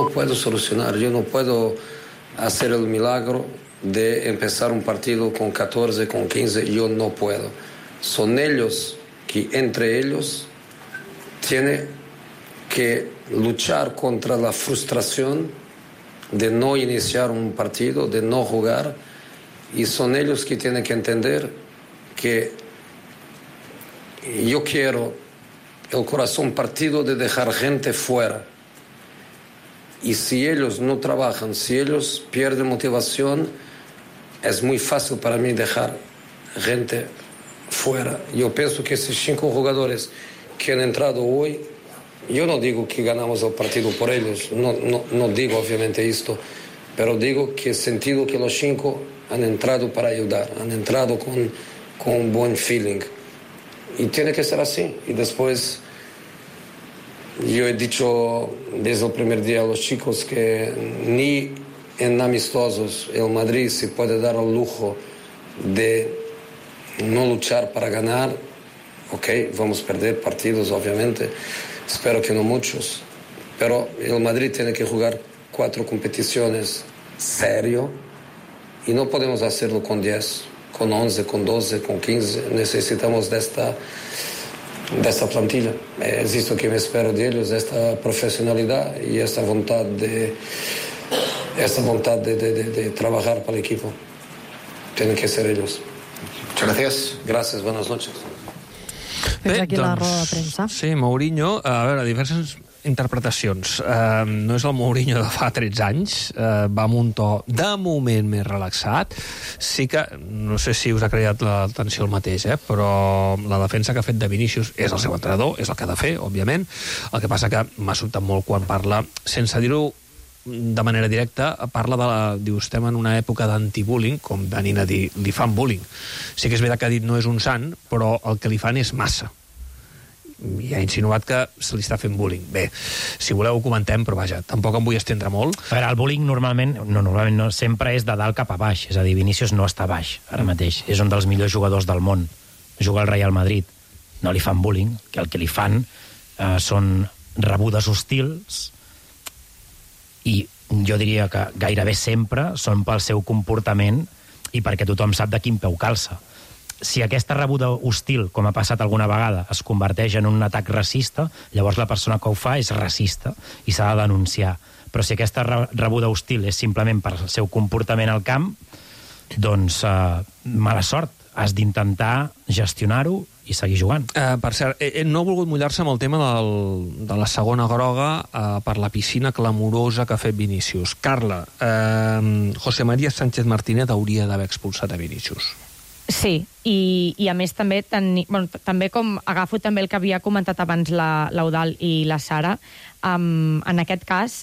no puedo solucionar, yo no puedo hacer el milagro de empezar un partido con 14, con 15, yo no puedo. Son ellos que entre ellos tienen que luchar contra la frustración de no iniciar un partido, de no jugar, y son ellos que tienen que entender que yo quiero el corazón partido de dejar gente fuera. Y si ellos no trabajan, si ellos pierden motivación, es muy fácil para mí dejar gente fuera. Yo pienso que esos 5 jugadores que han entrado hoy, yo no digo que ganamos el partido por ellos, no digo obviamente esto, pero digo que he sentido que los 5 han entrado para ayudar, han entrado con un buen feeling. Y tiene que ser así. Y después, yo he dicho desde el primer día a los chicos que ni en amistosos el Madrid se puede dar el lujo de no luchar para ganar. Ok, vamos a perder partidos, obviamente. Espero que no muchos. Pero el Madrid tiene que jugar 4 competiciones serio y no podemos hacerlo con 10, con 11, con 12, con 15. Necesitamos de esta plantilla. Es esto que me espero de ellos, esta profesionalidad y esta voluntad de trabajar para el equipo. Tienen que ser ellos. Muchas gracias. Gracias, buenas noches. Fins aquí la roda de premsa. Sí, Mourinho, a veure, diverses interpretacions. No és el Mourinho de fa 13 anys, va amb un to de moment més relaxat. Sí que, no sé si us ha creat l'atenció el mateix, però la defensa que ha fet de Vinícius és el seu entrenador, és el que ha de fer, òbviament. El que passa que m'ha sobtat molt quan parla, sense dir-ho de manera directa, parla diu, estem en una època d'antibullying, com venint a dir, li fan bullying. Sí que és veritat que ha dit no és un sant, però el que li fan és massa. I ha insinuat que se li està fent bullying. Bé, si voleu ho comentem, però vaja, tampoc em vull estendre molt. A veure, el bullying normalment no, sempre és de dalt cap a baix, és a dir, Vinícius no està baix ara mateix, és un dels millors jugadors del món, juga al Real Madrid, no li fan bullying, que el que li fan són rebudes hostils, i jo diria que gairebé sempre són pel seu comportament i perquè tothom sap de quin peu calça. Si aquesta rebuda hostil, com ha passat alguna vegada, es converteix en un atac racista, llavors la persona que ho fa és racista i s'ha de denunciar. Però si aquesta rebuda hostil és simplement per el seu comportament al camp, doncs mala sort. Has d'intentar gestionar-ho i seguir jugant. Per cert, no ha volgut mullar-se amb el tema de la segona groga per la piscina clamorosa que ha fet Vinícius. Carla, José María Sánchez Martínez hauria d'haver expulsat a Vinícius. Sí, i a més també, també com agafo també el que havia comentat abans l'Eudal i la Sara, en aquest cas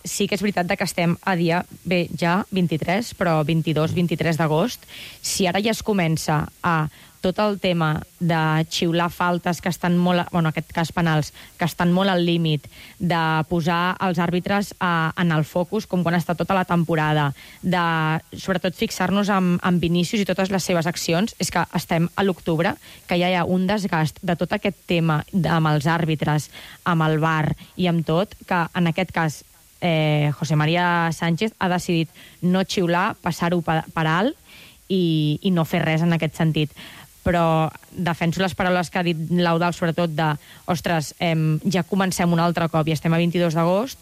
sí que és veritat que estem a dia, bé, ja 23, però 22-23 d'agost. Si ara ja es comença a tot el tema de xiular faltes que estan molt, en aquest cas penals, que estan molt al límit, de posar els àrbitres en el focus, com quan està tota la temporada, de sobretot fixar-nos en Vinícius i totes les seves accions, és que estem a l'octubre, que ja hi ha un desgast de tot aquest tema amb els àrbitres, amb el VAR i amb tot, que en aquest cas José María Sánchez ha decidit no xiular, passar-ho per alt i no fer res en aquest sentit. Però defenso les paraules que ha dit l'Eudal, sobretot de, ostres, ja comencem un altre cop i estem a 22 d'agost,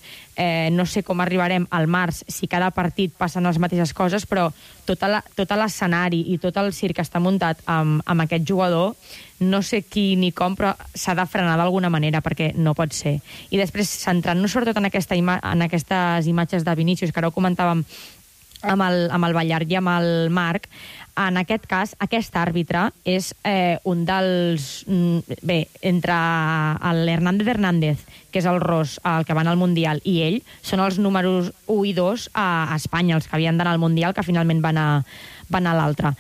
no sé com arribarem al març si cada partit passen les mateixes coses, però tot l'escenari i tot el circ que està muntat amb aquest jugador, no sé qui ni com, però s'ha de frenar d'alguna manera, perquè no pot ser. I després, centrant-nos sobretot en aquestes imatges de Vinícius, que ara ho comentàvem amb el Ballart i amb el Marc, en aquest cas, aquest àrbitre és un dels... Bé, entre l'Hernández, que és el Ros, el que van al Mundial, i ell, són els números 1 i 2 a Espanya, els que havien d'anar al Mundial, que finalment van a l'altre.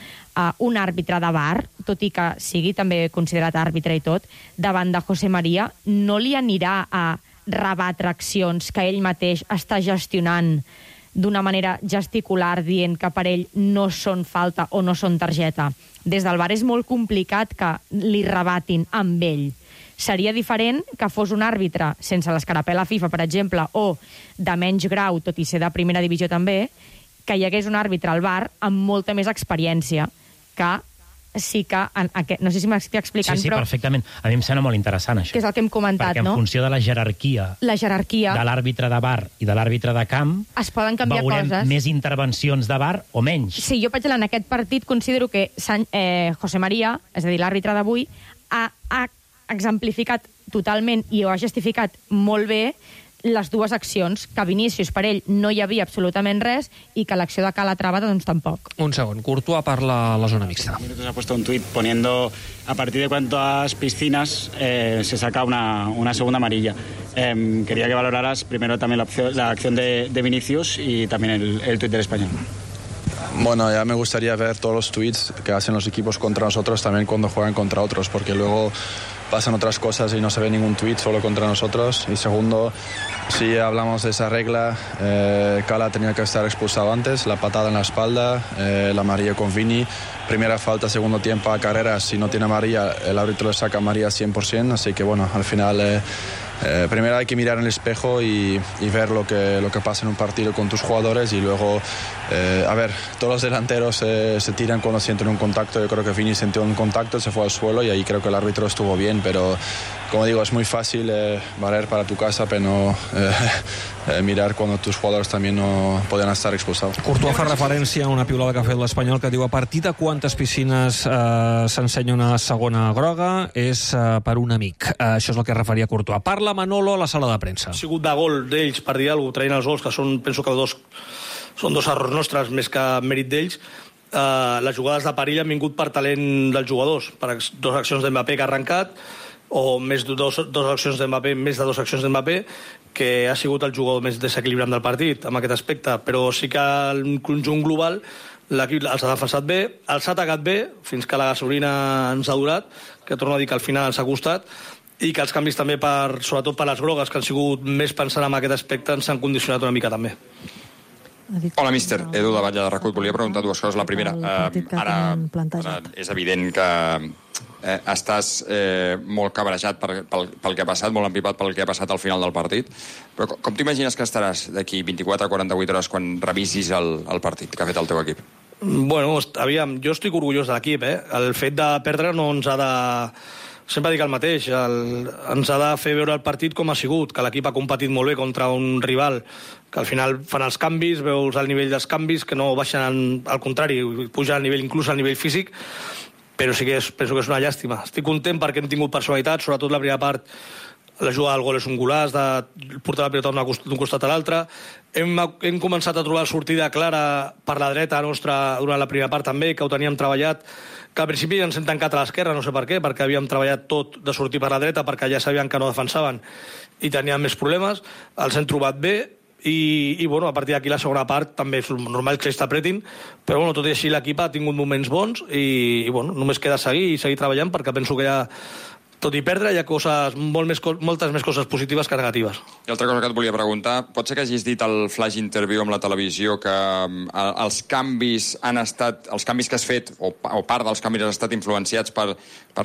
Un àrbitre de VAR, tot i que sigui també considerat àrbitre i tot, davant de José María, no li anirà a rebatre accions que ell mateix està gestionant d'una manera gesticular, dient que per ell no són falta o no són targeta. Des del VAR és molt complicat que li rebatin amb ell. Seria diferent que fos un àrbitre sense l'escarapel a FIFA, per exemple, o de menys grau, tot i ser de primera divisió també, que hi hagués un àrbitre al VAR amb molta més experiència, que sí que... No sé si m'estic explicant, sí, però... perfectament. A mi em sembla molt interessant, això. Que és el que hem comentat, perquè no? En funció de la jerarquia de l'àrbitre de VAR i de l'àrbitre de camp, es poden canviar veurem coses. més intervencions de VAR o menys. Sí, jo, per exemple, en aquest partit considero que José María, és a dir, l'àrbitre d'avui, ha exemplificat totalment i ho ha justificat molt bé les dues accions, que Vinícius per ell no hi havia absolutament res i que l'acció de Calatrava doncs tampoc. Un segon, Courtois parla a la zona mixta. Ha puesto un tuit poniendo a partir de cuántas piscinas se saca una segunda amarilla. Quería que valoraras primero también la acción de Vinícius y también el tuit del Español. Bueno, ya me gustaría ver todos los tweets que hacen los equipos contra nosotros también cuando juegan contra otros, porque luego pasan otras cosas y no se ve ningún tweet solo contra nosotros. Y segundo, si hablamos de esa regla, Cala tenía que estar expulsado antes, la patada en la espalda, la amarilla con Vini, primera falta, segundo tiempo a Carreras, si no tiene amarilla, el árbitro le saca amarilla 100%, así que bueno, al final... primero hay que mirar en el espejo y ver lo que pasa en un partido con tus jugadores y luego, a ver, todos los delanteros se tiran cuando sienten un contacto. Yo creo que Vini sintió un contacto, se fue al suelo y ahí creo que el árbitro estuvo bien, pero como digo, es muy fácil valer para tu casa, pero no mirar cuando tus jugadores también no poden estar expulsados. Courtois fa referència a una piulada que ha fet l'Espanyol que diu a partir de quantes piscines s'ensenya una segona groga és per un amic. Això és el que referia Courtois. Parla Manolo a la sala de premsa. Ha sigut de gol d'ells, per dir alguna cosa, traient els gols, que són, penso que són dos errors nostres més que mèrit d'ells. Les jugades de perill han vingut per talent dels jugadors, per dues accions d'Mbappé que ha arrencat, o més dos accions d'Mbappé, més de dues accions d'Mbappé, que ha sigut el jugador més desequilibrant del partit, amb aquest aspecte. Però sí que en conjunt global l'equip els ha defensat bé, els ha atacat bé, fins que la gasolina ens ha durat, que torno a dir que al final s'ha costat, i que els canvis també, sobretot per les grogues, que han sigut més pensant en aquest aspecte, ens han condicionat una mica també. Hola, míster. Edu de Batlle de Recut. Volia preguntar dues coses. La primera, ara és evident que estàs molt cabrejat pel que ha passat, molt empipat pel que ha passat al final del partit, però com t'imagines que estaràs d'aquí 24 a 48 hores quan revisis el partit que ha fet el teu equip? Bueno, aviam, jo estic orgullós de l'equip, El fet de perdre no ens ha de... Sempre dic el mateix, ens ha de fer veure el partit com ha sigut, que l'equip ha competit molt bé contra un rival, que al final fan els canvis, veus el nivell dels canvis, que no baixen, al contrari, puja al nivell, inclús al nivell físic, però sí que penso que és una llàstima. Estic content perquè hem tingut personalitat, sobretot la primera part, la jugada del gol és un golaç, de portar la pilota d'un costat a l'altre. Hem començat a trobar sortida clara per la dreta nostra durant la primera part també, que ho teníem treballat, que al principi ens hem tancat a l'esquerra, no sé per què, perquè havíem treballat tot de sortir per la dreta, perquè ja sabien que no defensaven i tenien més problemes, els hem trobat bé, i bueno, a partir d'aquí la segona part també és normal que ells t'apretin, però bueno, tot i així l'equip ha tingut moments bons i bueno, només queda seguir treballant, perquè penso que tot i perdre, hi ha moltes més coses positives que negatives. I altra cosa que et volia preguntar, pot ser que hagis dit al flash interview amb la televisió que els canvis que has fet, o part dels canvis han estat influenciats per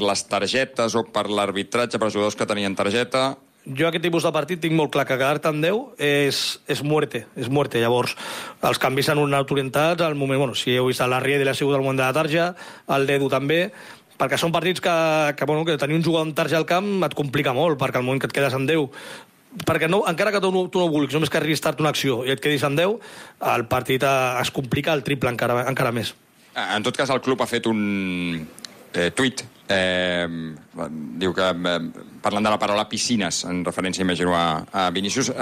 les targetes o per l'arbitratge, per jugadors que tenien targeta? Jo aquest tipus de partit tinc molt clar que quedar-te en 10 és muerte. Llavors, els canvis han anat orientats al moment... Bueno, si heu vist la Riedel ha sigut al moment de la tarja, el Dedu també, perquè són partits que tenir un jugador amb tarja al camp et complica molt, perquè al moment que et quedes en 10... Perquè encara que tu no vulguis, només que arribis tard una acció i et quedis en 10, el partit es complica el triple encara més. En tot cas, el club ha fet un tuit. Diu que parlant de la paraula piscines, en referència, imagino, a Vinícius.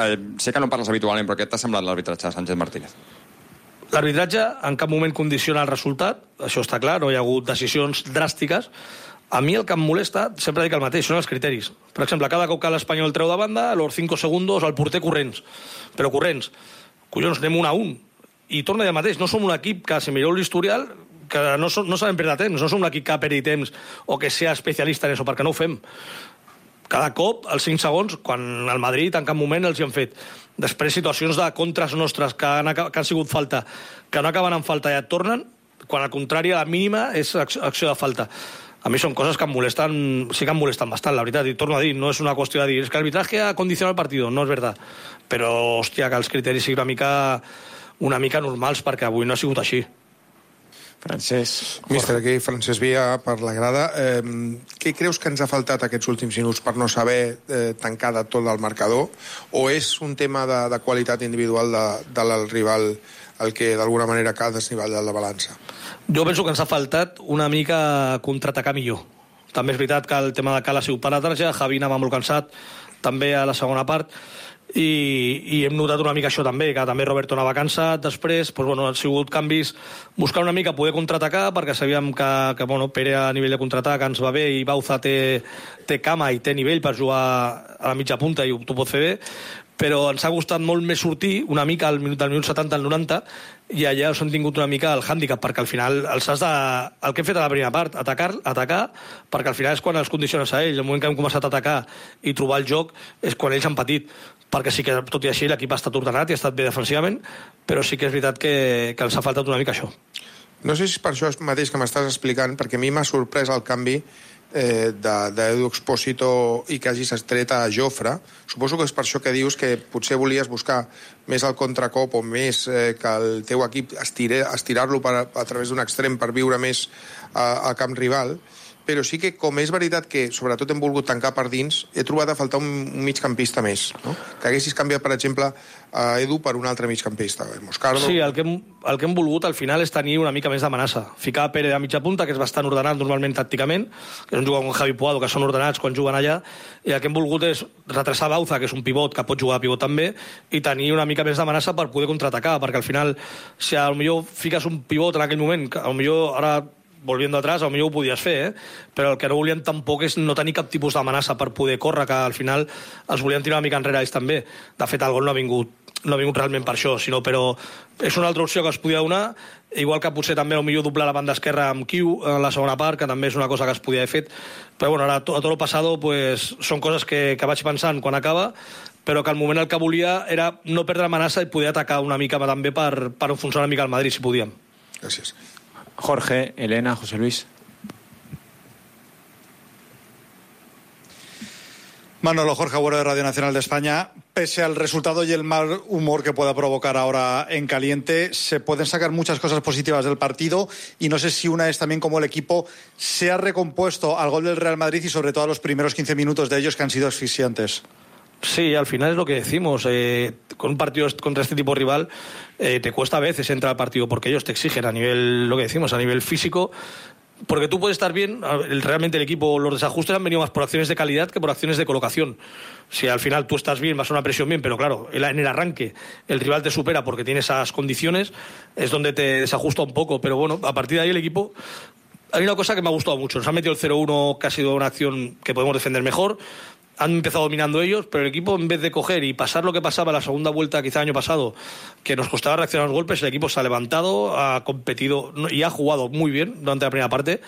Sé que no parles habitualment, però què t'ha semblat l'arbitratge de Sánchez Martínez? L'arbitratge en cap moment condiciona el resultat, això està clar, no hi ha hagut decisions dràstiques. A mi el que em molesta, sempre dic el mateix, són els criteris. Per exemple, cada cop que l'Espanyol treu de banda, a los 5 segundos el porter corrents. Però corrents. Collons, anem 1 a 1. I torna a dir el mateix, no som un equip que, si mireu l'historial, que no sabem perdre temps, no som un equip que perdi temps o que sea especialista en això, perquè no ho fem. Cada cop, als 5 segons, quan al Madrid en cap moment els hi han fet. Després, situacions de contres nostres que han sigut falta, que no acaben en falta i et tornen, quan al contrari, a la mínima és acció de falta. a mi són coses que em molesten, sí que em molesten bastant, la veritat, i torno a dir, no és una qüestió de dir, és que l'arbitratge ha condicionat el partit, no és veritat, però, hòstia, que els criteris siguin una mica normals, perquè avui no ha sigut així. Francesc. Mister, aquí Francesc Via per la grada. Què creus que ens ha faltat aquests últims minuts per no saber tancar de tot el marcador? O és un tema de qualitat individual del rival el que d'alguna manera ha desnivellat la balança? Jo penso que ens ha faltat una mica contraatacar millor. També és veritat que el tema de Cal ha sigut per la tarja, Javi anava molt cansat, també a la segona part, i hem notat una mica això també, que també Roberto anava cansat, després han sigut canvis, buscar una mica poder contraatacar, perquè sabíem que Pere a nivell de contraatac ens va bé i Bauza té cama i té nivell per jugar a la mitja punta i t'ho pot fer bé, però ens ha costat molt més sortir una mica del minut 70 al 90 i allà us han tingut una mica el hàndicap, perquè al final el que hem fet a la primera part, atacar, perquè al final és quan els condiciones a ells, el moment que hem començat a atacar i trobar el joc és quan ells han patit, perquè sí que tot i així l'equip ha estat ordenat i ha estat bé defensivament, però sí que és veritat que ens ha faltat una mica això. No sé si és per això mateix que m'estàs explicant, perquè a mi m'ha sorprès el canvi d'Edu Expósito i que hagis estret a Jofre. Suposo que és per això que dius que potser volies buscar més el contracop o més que el teu equip estirar-lo a través d'un extrem per viure més al camp rival, però sí que, com és veritat que sobretot hem volgut tancar per dins, he trobat a faltar un migcampista més, no? Que haguessis canviat, per exemple, a Edu per un altre migcampista, Moscardo. Sí, el que hem volgut al final és tenir una mica més d'amenaça. Ficar Pere a mitja punta, que és bastant ordenat normalment tàcticament, que és un jugador com Javi Puado, que són ordenats quan juguen allà, i el que hem volgut és retrasar Bauza, que és un pivot que pot jugar a pivot també, i tenir una mica més d'amenaça per poder contraatacar, perquè al final, si potser fiques un pivot en aquell moment, que potser ara volviendo atrás, potser ho podies fer, però el que no volien tampoc és no tenir cap tipus d'amenaça per poder córrer, que al final els volien tirar una mica enrere ells també. De fet, el gol no ha vingut realment per això, però és una altra opció que es podia donar, igual que potser també potser doblar la banda esquerra amb Kiu en la segona part, que també és una cosa que es podia haver fet, però ara a tot el passado són coses que vaig pensant quan acaba, però que al moment el que volia era no perdre amenaça i poder atacar una mica també per enfonsar una mica el Madrid, si podíem. Gràcies. Jorge, Elena, José Luis. Manolo, Jorge Agüero de Radio Nacional de España. Pese al resultado y el mal humor que pueda provocar ahora en caliente, se pueden sacar muchas cosas positivas del partido y no sé si una es también como el equipo se ha recompuesto al gol del Real Madrid y sobre todo a los primeros 15 minutos de ellos que han sido asfixiantes. Sí, al final es lo que decimos. Con un partido contra este tipo de rival te cuesta a veces entrar al partido porque ellos te exigen a nivel, lo que decimos, a nivel físico. Porque tú puedes estar bien, realmente el equipo, los desajustes han venido más por acciones de calidad que por acciones de colocación. Si al final tú estás bien, vas a una presión bien, pero claro, en el arranque el rival te supera porque tiene esas condiciones, es donde te desajusta un poco. Pero bueno, a partir de ahí el equipo... Hay una cosa que me ha gustado mucho. Nos han metido el 0-1, que ha sido una acción que podemos defender mejor. Han empezado dominando ellos, pero el equipo, en vez de coger y pasar lo que pasaba en la segunda vuelta, quizá el año pasado, que nos costaba reaccionar a los golpes, el equipo se ha levantado, ha competido y ha jugado muy bien durante la primera parte,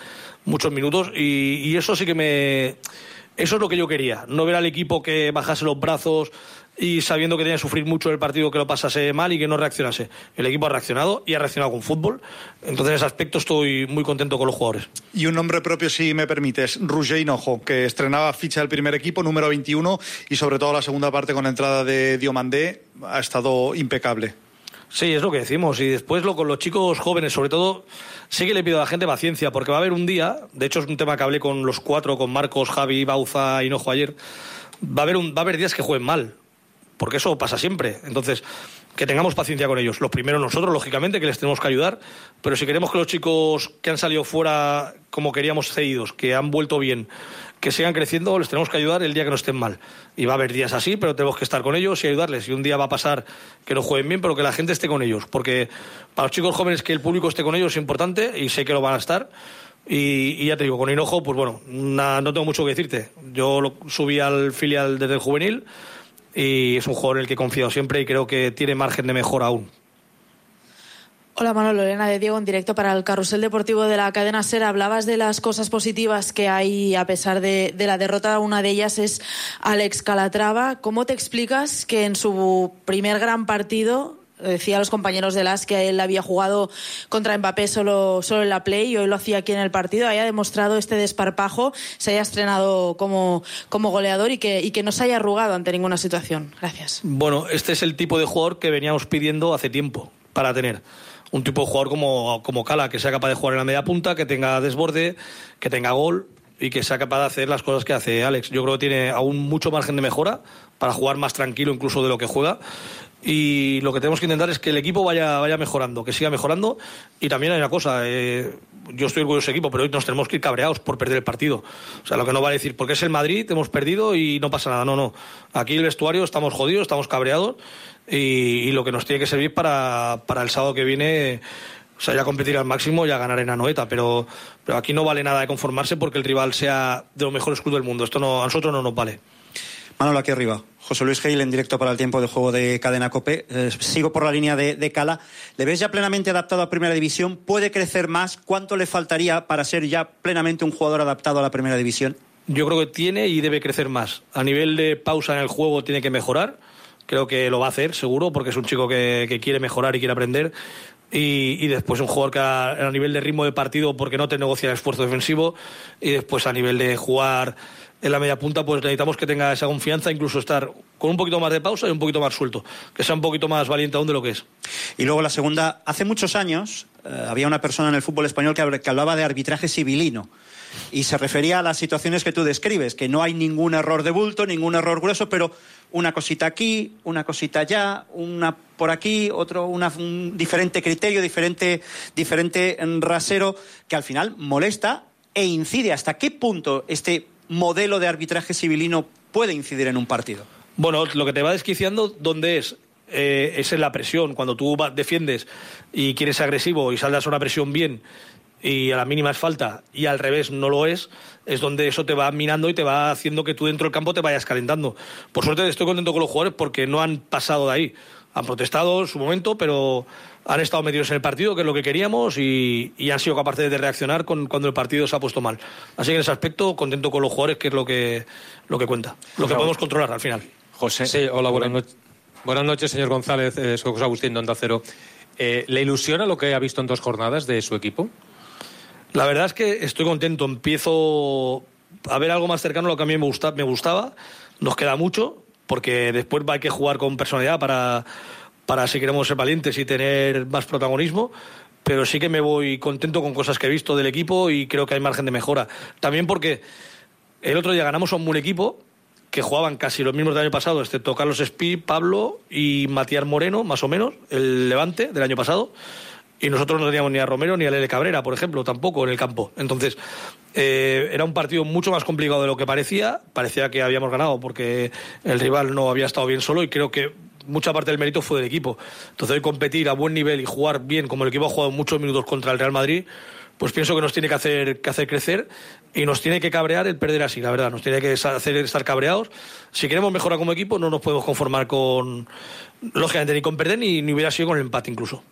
muchos minutos, y eso sí que eso es lo que yo quería, no ver al equipo que bajase los brazos y sabiendo que tenía que sufrir mucho el partido, que lo pasase mal y que no reaccionase. El equipo ha reaccionado y ha reaccionado con fútbol. Entonces, en ese aspecto estoy muy contento con los jugadores. Y un nombre propio, si me permites, Roger Hinojo, que estrenaba ficha del primer equipo, número 21, y sobre todo la segunda parte con la entrada de Diomandé, ha estado impecable. Sí, es lo que decimos. Y después con los chicos jóvenes, sobre todo, sí que le pido a la gente paciencia, porque va a haber un día, de hecho es un tema que hablé con los cuatro, con Marcos, Javi, Bauza, Hinojo ayer, va a haber días que jueguen mal, porque eso pasa siempre. Entonces, que tengamos paciencia con ellos. Los primeros nosotros, lógicamente, que les tenemos que ayudar, pero si queremos que los chicos que han salido fuera como queríamos cedidos, que han vuelto bien, que sigan creciendo, les tenemos que ayudar el día que no estén mal. Y va a haber días así, pero tenemos que estar con ellos y ayudarles. Y un día va a pasar que no jueguen bien, pero que la gente esté con ellos. Porque para los chicos jóvenes que el público esté con ellos es importante, y sé que lo van a estar. Y ya te digo, con Hinojo, pues bueno, no tengo mucho que decirte. Yo lo subí al filial desde el juvenil, y es un jugador en el que he confiado siempre y creo que tiene margen de mejora aún. Hola Manolo, Elena de Diego en directo para el Carrusel Deportivo de la cadena SER. Hablabas de las cosas positivas que hay a pesar de la derrota. Una de ellas es Alex Calatrava. ¿Cómo te explicas que en su primer gran partido decía a los compañeros de LAS que él había jugado contra Mbappé solo en la Play y hoy lo hacía aquí en el partido, haya demostrado este desparpajo, se haya estrenado como goleador y que no se haya arrugado ante ninguna situación. Gracias. Bueno, este es el tipo de jugador que veníamos pidiendo hace tiempo para tener. Un tipo de jugador como Cala, que sea capaz de jugar en la media punta, que tenga desborde, que tenga gol y que sea capaz de hacer las cosas que hace Alex. Yo creo que tiene aún mucho margen de mejora para jugar más tranquilo incluso de lo que juega. Y lo que tenemos que intentar es que el equipo vaya mejorando, que siga mejorando. Y también hay una cosa, yo estoy orgulloso del equipo, pero hoy nos tenemos que ir cabreados por perder el partido. O sea, lo que no vale decir, porque es el Madrid, hemos perdido y no pasa nada. No. Aquí el vestuario estamos jodidos, estamos cabreados y lo que nos tiene que servir para el sábado que viene, o sea, ya competir al máximo y a ganar en Anoeta. Pero aquí no vale nada de conformarse porque el rival sea de los mejores clubes del mundo. Esto a nosotros no nos vale. Manolo, aquí arriba. José Luis Gil, en directo para el tiempo de juego de Cadena COPE. Sigo por la línea de Cala. ¿Le ves ya plenamente adaptado a Primera División? ¿Puede crecer más? ¿Cuánto le faltaría para ser ya plenamente un jugador adaptado a la Primera División? Yo creo que tiene y debe crecer más. A nivel de pausa en el juego tiene que mejorar. Creo que lo va a hacer, seguro, porque es un chico que quiere mejorar y quiere aprender. Y después un jugador que a nivel de ritmo de partido, porque no te negocia el esfuerzo defensivo. Y después a nivel de jugar en la media punta, pues necesitamos que tenga esa confianza, incluso estar con un poquito más de pausa y un poquito más suelto, que sea un poquito más valiente aún de lo que es. Y luego la segunda, hace muchos años había una persona en el fútbol español que hablaba de arbitraje civilino y se refería a las situaciones que tú describes, que no hay ningún error de bulto, ningún error grueso, pero una cosita aquí, una cosita allá, una por aquí, un diferente criterio, diferente rasero, que al final molesta e incide. ¿Hasta qué punto este modelo de arbitraje civilino puede incidir en un partido? Bueno, lo que te va desquiciando, ¿dónde es? Es en la presión. Cuando tú defiendes y quieres ser agresivo y saldas a una presión bien y a la mínima es falta y al revés no lo es donde eso te va minando y te va haciendo que tú dentro del campo te vayas calentando. Por suerte estoy contento con los jugadores porque no han pasado de ahí. Han protestado en su momento, pero han estado metidos en el partido, que es lo que queríamos, y han sido capaces de reaccionar cuando el partido se ha puesto mal. Así que en ese aspecto, contento con los jugadores, que es lo que cuenta, lo que podemos controlar al final. José. Sí, hola, buenas noches, señor González. Soy José Agustín de Onda Cero. ¿Le ilusiona lo que ha visto en 2 jornadas de su equipo? La verdad es que estoy contento. Empiezo a ver algo más cercano a lo que a mí me gustaba. Nos queda mucho, porque después hay que jugar con personalidad para si queremos ser valientes y tener más protagonismo, pero sí que me voy contento con cosas que he visto del equipo y creo que hay margen de mejora. También porque el otro día ganamos a un buen equipo que jugaban casi los mismos del año pasado, excepto Carlos Espí, Pablo y Matías Moreno, más o menos, el Levante del año pasado, y nosotros no teníamos ni a Romero ni a Lele Cabrera, por ejemplo, tampoco en el campo. Entonces, era un partido mucho más complicado de lo que parecía que habíamos ganado porque el rival no había estado bien solo y creo que mucha parte del mérito fue del equipo. Entonces, hoy competir a buen nivel y jugar bien como el equipo ha jugado muchos minutos contra el Real Madrid, pues pienso que nos tiene que hacer crecer y nos tiene que cabrear el perder así, la verdad. Nos tiene que hacer estar cabreados. Si queremos mejorar como equipo, no nos podemos conformar lógicamente, ni con perder ni hubiera sido con el empate incluso.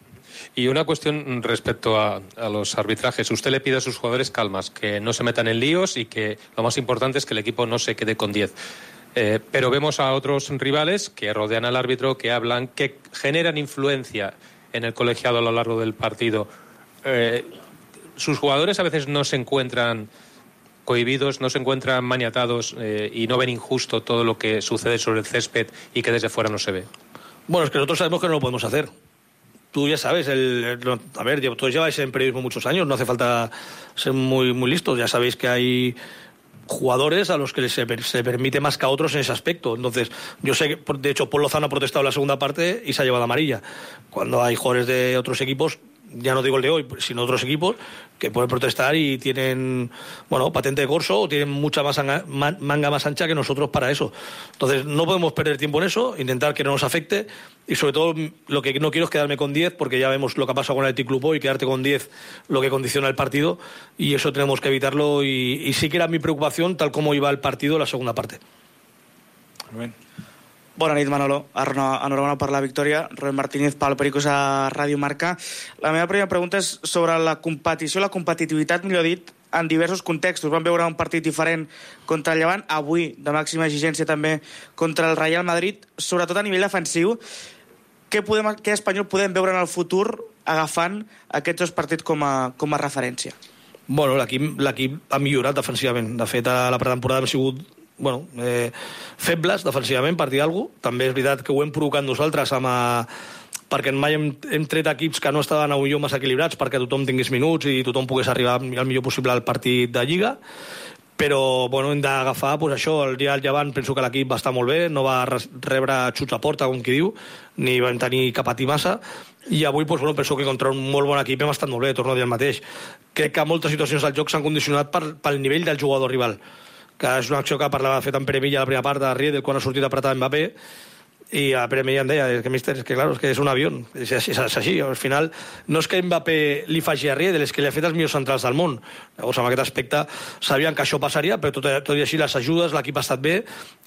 Y una cuestión respecto a los arbitrajes. Usted le pide a sus jugadores calmas, que no se metan en líos y que lo más importante es que el equipo no se quede con 10. Pero vemos a otros rivales que rodean al árbitro, que hablan, que generan influencia en el colegiado a lo largo del partido. Sus jugadores a veces no se encuentran cohibidos, no se encuentran maniatados y no ven injusto todo lo que sucede sobre el césped y que desde fuera no se ve. Bueno, es que nosotros sabemos que no lo podemos hacer. Tú ya sabes, todos lleváis en periodismo muchos años, no hace falta ser muy, muy listos. Ya sabéis que hay jugadores a los que se permite más que a otros en ese aspecto. Entonces, yo sé que, de hecho, Paul Lozano ha protestado en la segunda parte y se ha llevado amarilla. Cuando hay jugadores de otros equipos, ya no digo el de hoy, sino otros equipos, que pueden protestar y tienen, patente de corso o tienen mucha manga más ancha que nosotros para eso. Entonces, no podemos perder tiempo en eso, intentar que no nos afecte y, sobre todo, lo que no quiero es quedarme con 10, porque ya vemos lo que ha pasado con el Athletic Club hoy, quedarte con 10 lo que condiciona el partido y eso tenemos que evitarlo y sí que era mi preocupación tal como iba el partido en la segunda parte. Bien. Bona nit, Manolo. Enhorabona per la victòria. Rubén Martínez, Pablo Pericos a Ràdio Marca. La meva primera pregunta és sobre la competició, la competitivitat, millor dit, en diversos contextos. Vam veure un partit diferent contra el Llevant, avui de màxima exigència també contra el Real Madrid, sobretot a nivell defensiu. què espanyol podem veure en el futur agafant aquests dos partits com a referència? Bueno, l'equip ha millorat defensivament. De fet, a la pretemporada hem sigut febles defensivament, per dir alguna cosa. També és veritat que ho hem provocat nosaltres perquè mai hem tret equips que no estaven a millor massa equilibrats perquè tothom tingués minuts i tothom pogués arribar el millor possible al partit de Lliga. Però hem d'agafar això, el dia del Llevant penso que l'equip va estar molt bé, no va rebre xuts a porta, com qui diu, ni vam tenir que patir massa, i avui penso que contra un molt bon equip hem estat molt bé, torno a dir el mateix. Crec que moltes situacions del joc s'han condicionat pel nivell del jugador rival, que és una acció que parlava fet en Pere Milla a la primera part de Riedel quan ha sortit apretat Mbappé, i a Pere Milla em deia, és que és un avió, és així, al final no és que Mbappé li faci a Riedel, és que li ha fet els millors centrals del món. Llavors, en aquest aspecte sabien que això passaria, però tot i així les ajudes, l'equip ha estat bé,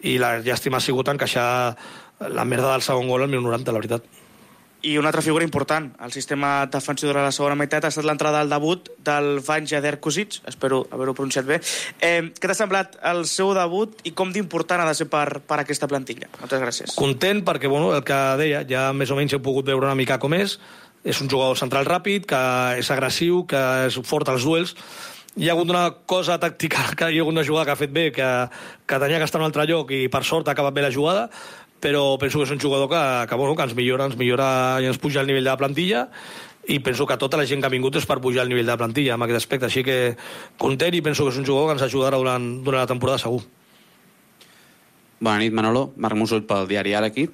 i la llàstima ha sigut encaixar la merda del segon gol al 90, la veritat. I una altra figura important al sistema defensiu de la segona meitat ha estat l'entrada al debut del Vanja Derkusic, espero haver-ho pronunciat bé. Què t'ha semblat el seu debut i com d'important ha de ser per aquesta plantilla? Moltes gràcies. Content perquè, el que deia, ja més o menys he pogut veure una mica com és un jugador central ràpid, que és agressiu, que és fort als duels. Hi ha hagut una cosa tàctica, que hi ha hagut una jugada que ha fet bé, que tenia que estar en un altre lloc i per sort ha acabat bé la jugada, però penso que és un jugador que ens millora i ens puja el nivell de la plantilla, i penso que tota la gent que ha vingut és per pujar el nivell de la plantilla en aquest aspecte, així que content, i penso que és un jugador que ens ajudarà durant la temporada segur. Bona nit, Manolo. Marc Musull pel diari Ara aquí.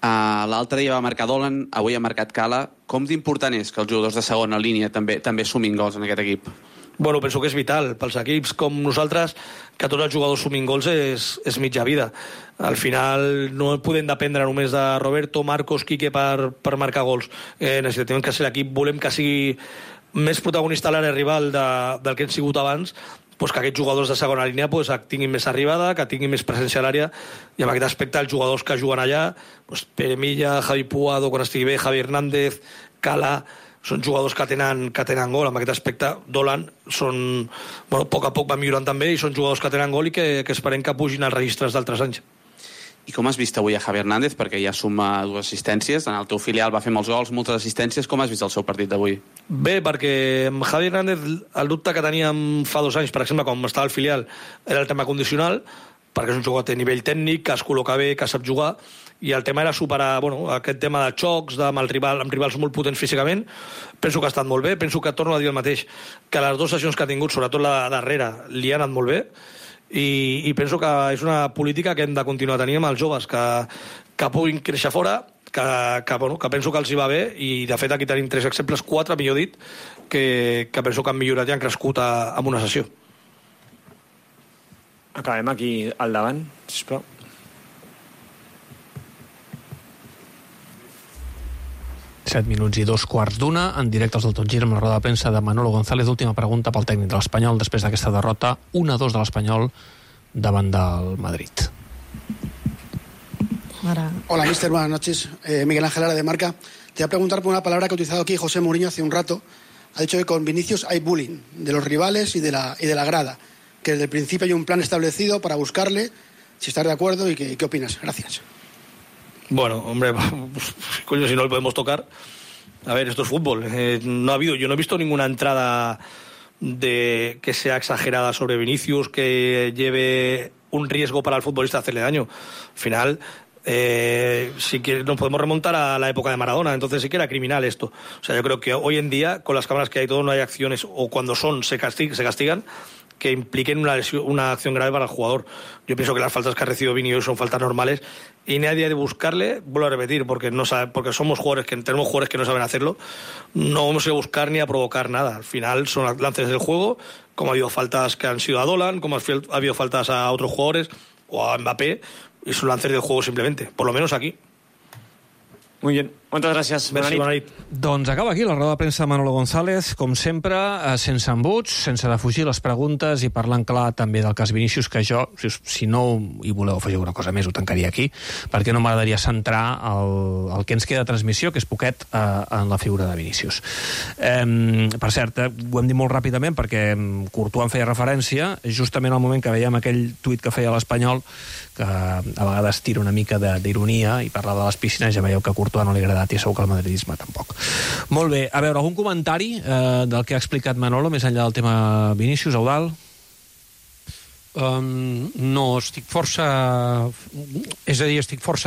L'altre dia va marcar Dolan, avui ha marcat Cala. Com d'important és que els jugadors de segona línia també sumin gols en aquest equip? Penso que és vital pels equips com nosaltres, que tots els jugadors sumin gols és mitja vida. Al final no podem dependre només de Roberto, Marcos, Quique per marcar gols. Necessitem que ser l'equip, volem que sigui més protagonista a l'àrea rival del que hem sigut abans, que aquests jugadors de segona línia tinguin més arribada, que tinguin més presència a l'àrea, i en aquest aspecte els jugadors que juguen allà, Pere Milla, Javi Puado, quan estigui bé, Javi Hernández, Cala, són jugadors que tenen gol. En aquest aspecte, Dolan a poc a poc va millorant també, i són jugadors que tenen gol i que esperem que pugin als registres d'altres anys. I com has vist avui a Javi Hernández? Perquè ja suma 2 assistències, en el teu filial va fer molts gols, moltes assistències. Com has vist el seu partit d'avui? Bé, perquè amb Javi Hernández el dubte que teníem fa 2 anys, per exemple, quan estava al filial, era el tema condicional, perquè és un jugador de nivell tècnic, que es col·loca bé, que sap jugar, i el tema era superar aquest tema de xocs amb rivals molt potents físicament. Penso que ha estat molt bé, penso que torno a dir el mateix, que les 2 sessions que ha tingut, sobretot la darrera, li ha anat molt bé, i penso que és una política que hem de continuar tenint amb els joves, que puguin créixer fora, que penso que els hi va bé, i de fet aquí tenim 3 exemples, 4 millor dit, que penso que han millorat i han crescut en una sessió. Acabem aquí al davant, sisplau. Set minuts i 2:15, en directe als del Tot Gira amb la roda de premsa de Manolo González. Última pregunta pel tècnic de l'Espanyol després d'aquesta derrota 1-2 de l'Espanyol davant del Madrid. Hola, mister, buenas noches. Miguel Ángel Lara de Marca. Te voy a preguntar por una palabra que ha utilizado aquí José Mourinho hace un rato. Ha dicho que con Vinicius hay bullying de los rivales y de la grada, que desde el principio hay un plan establecido para buscarle, si estás de acuerdo, y qué opinas. Gracias. Bueno, hombre, coño, si no le podemos tocar. A ver, esto es fútbol. Yo no he visto ninguna entrada que sea exagerada sobre Vinicius, que lleve un riesgo para el futbolista hacerle daño. Al final, si nos podemos remontar a la época de Maradona, entonces sí que era criminal esto. O sea, yo creo que hoy en día, con las cámaras que hay todo, no hay acciones, o cuando se castigan, que impliquen una acción grave para el jugador. Yo pienso que las faltas que ha recibido Vini hoy son faltas normales, y nadie ha de buscarle, vuelvo a repetir, porque tenemos jugadores que no saben hacerlo. No vamos a buscar ni a provocar nada. Al final son lances del juego, como ha habido faltas que han sido a Dolan, como ha habido faltas a otros jugadores o a Mbappé, y son lances del juego simplemente, por lo menos aquí. Muy bien. Moltes gràcies. Bona nit. Doncs acaba aquí la roda de premsa de Manolo González, com sempre, sense embuts, sense defugir les preguntes i parlant clar també del cas Vinícius, que jo, si no hi voleu afegir alguna cosa més, ho tancaria aquí, perquè no m'agradaria centrar el que ens queda de transmissió, que és poquet, en la figura de Vinícius. Per cert, ho hem dit molt ràpidament perquè Courtois en feia referència, justament al moment que veiem aquell tuit que feia l'Espanyol, que a vegades tira una mica d'ironia i parla de les piscines, ja veieu que a Courtois no li agrada i segur que el madridisme tampoc. Molt bé, a veure, algun comentari del que ha explicat Manolo, més enllà del tema Vinícius, Eudald? No, estic força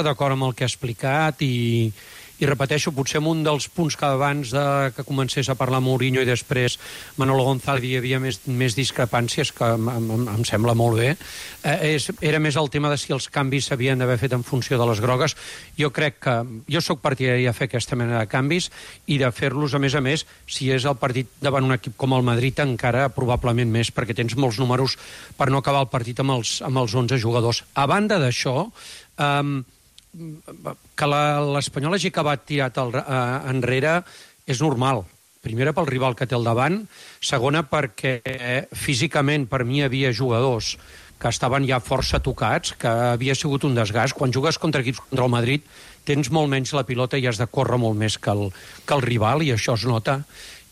d'acord amb el que ha explicat i repeteixo, potser en un dels punts que abans que comencés a parlar Mourinho i després Manolo González hi havia més discrepàncies, que em sembla molt bé. Era més el tema de si els canvis s'havien d'haver fet en funció de les grogues. Jo crec que... Jo sóc partidari de fer aquesta mena de canvis i de fer-los, a més, si és el partit davant un equip com el Madrid, encara probablement més, perquè tens molts números per no acabar el partit amb els 11 jugadors. A banda d'això, que l'Espanyol hagi acabat tirat enrere és normal. Primera, pel rival que té al davant. Segona, perquè físicament per mi hi havia jugadors que estaven ja força tocats, que havia sigut un desgast. Quan jugues contra equips contra el Madrid tens molt menys la pilota i has de córrer molt més que el rival, i això es nota.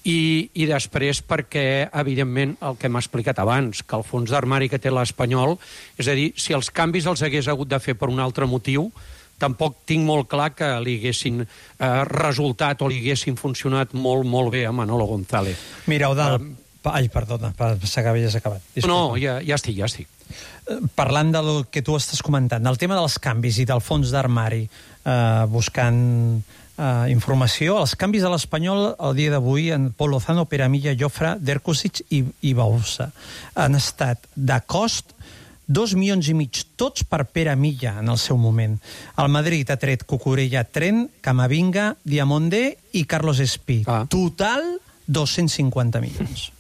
I després perquè, evidentment, el que m'ha explicat abans, que el fons d'armari que té l'Espanyol, és a dir, si els canvis els hagués hagut de fer per un altre motiu, tampoc tinc molt clar que li haguessin resultat o li haguessin funcionat molt, molt bé a Manolo González. Mira, Eudald... Ai, perdona, ja s'ha acabat. Disculpa. No, ja estic. Parlant del que tu estàs comentant, del tema dels canvis i del fons d'armari, buscant informació, els canvis de l'Espanyol el dia d'avui en Pol Lozano, Pere Milla, Jofre, Derkusic i Bausa han estat de cost 2,5 milions, tots per Pere Milla en el seu moment. El Madrid ha tret Cucurella, Trent, Camavinga, Diamondé i Carlos Espí. Total, 250 milions.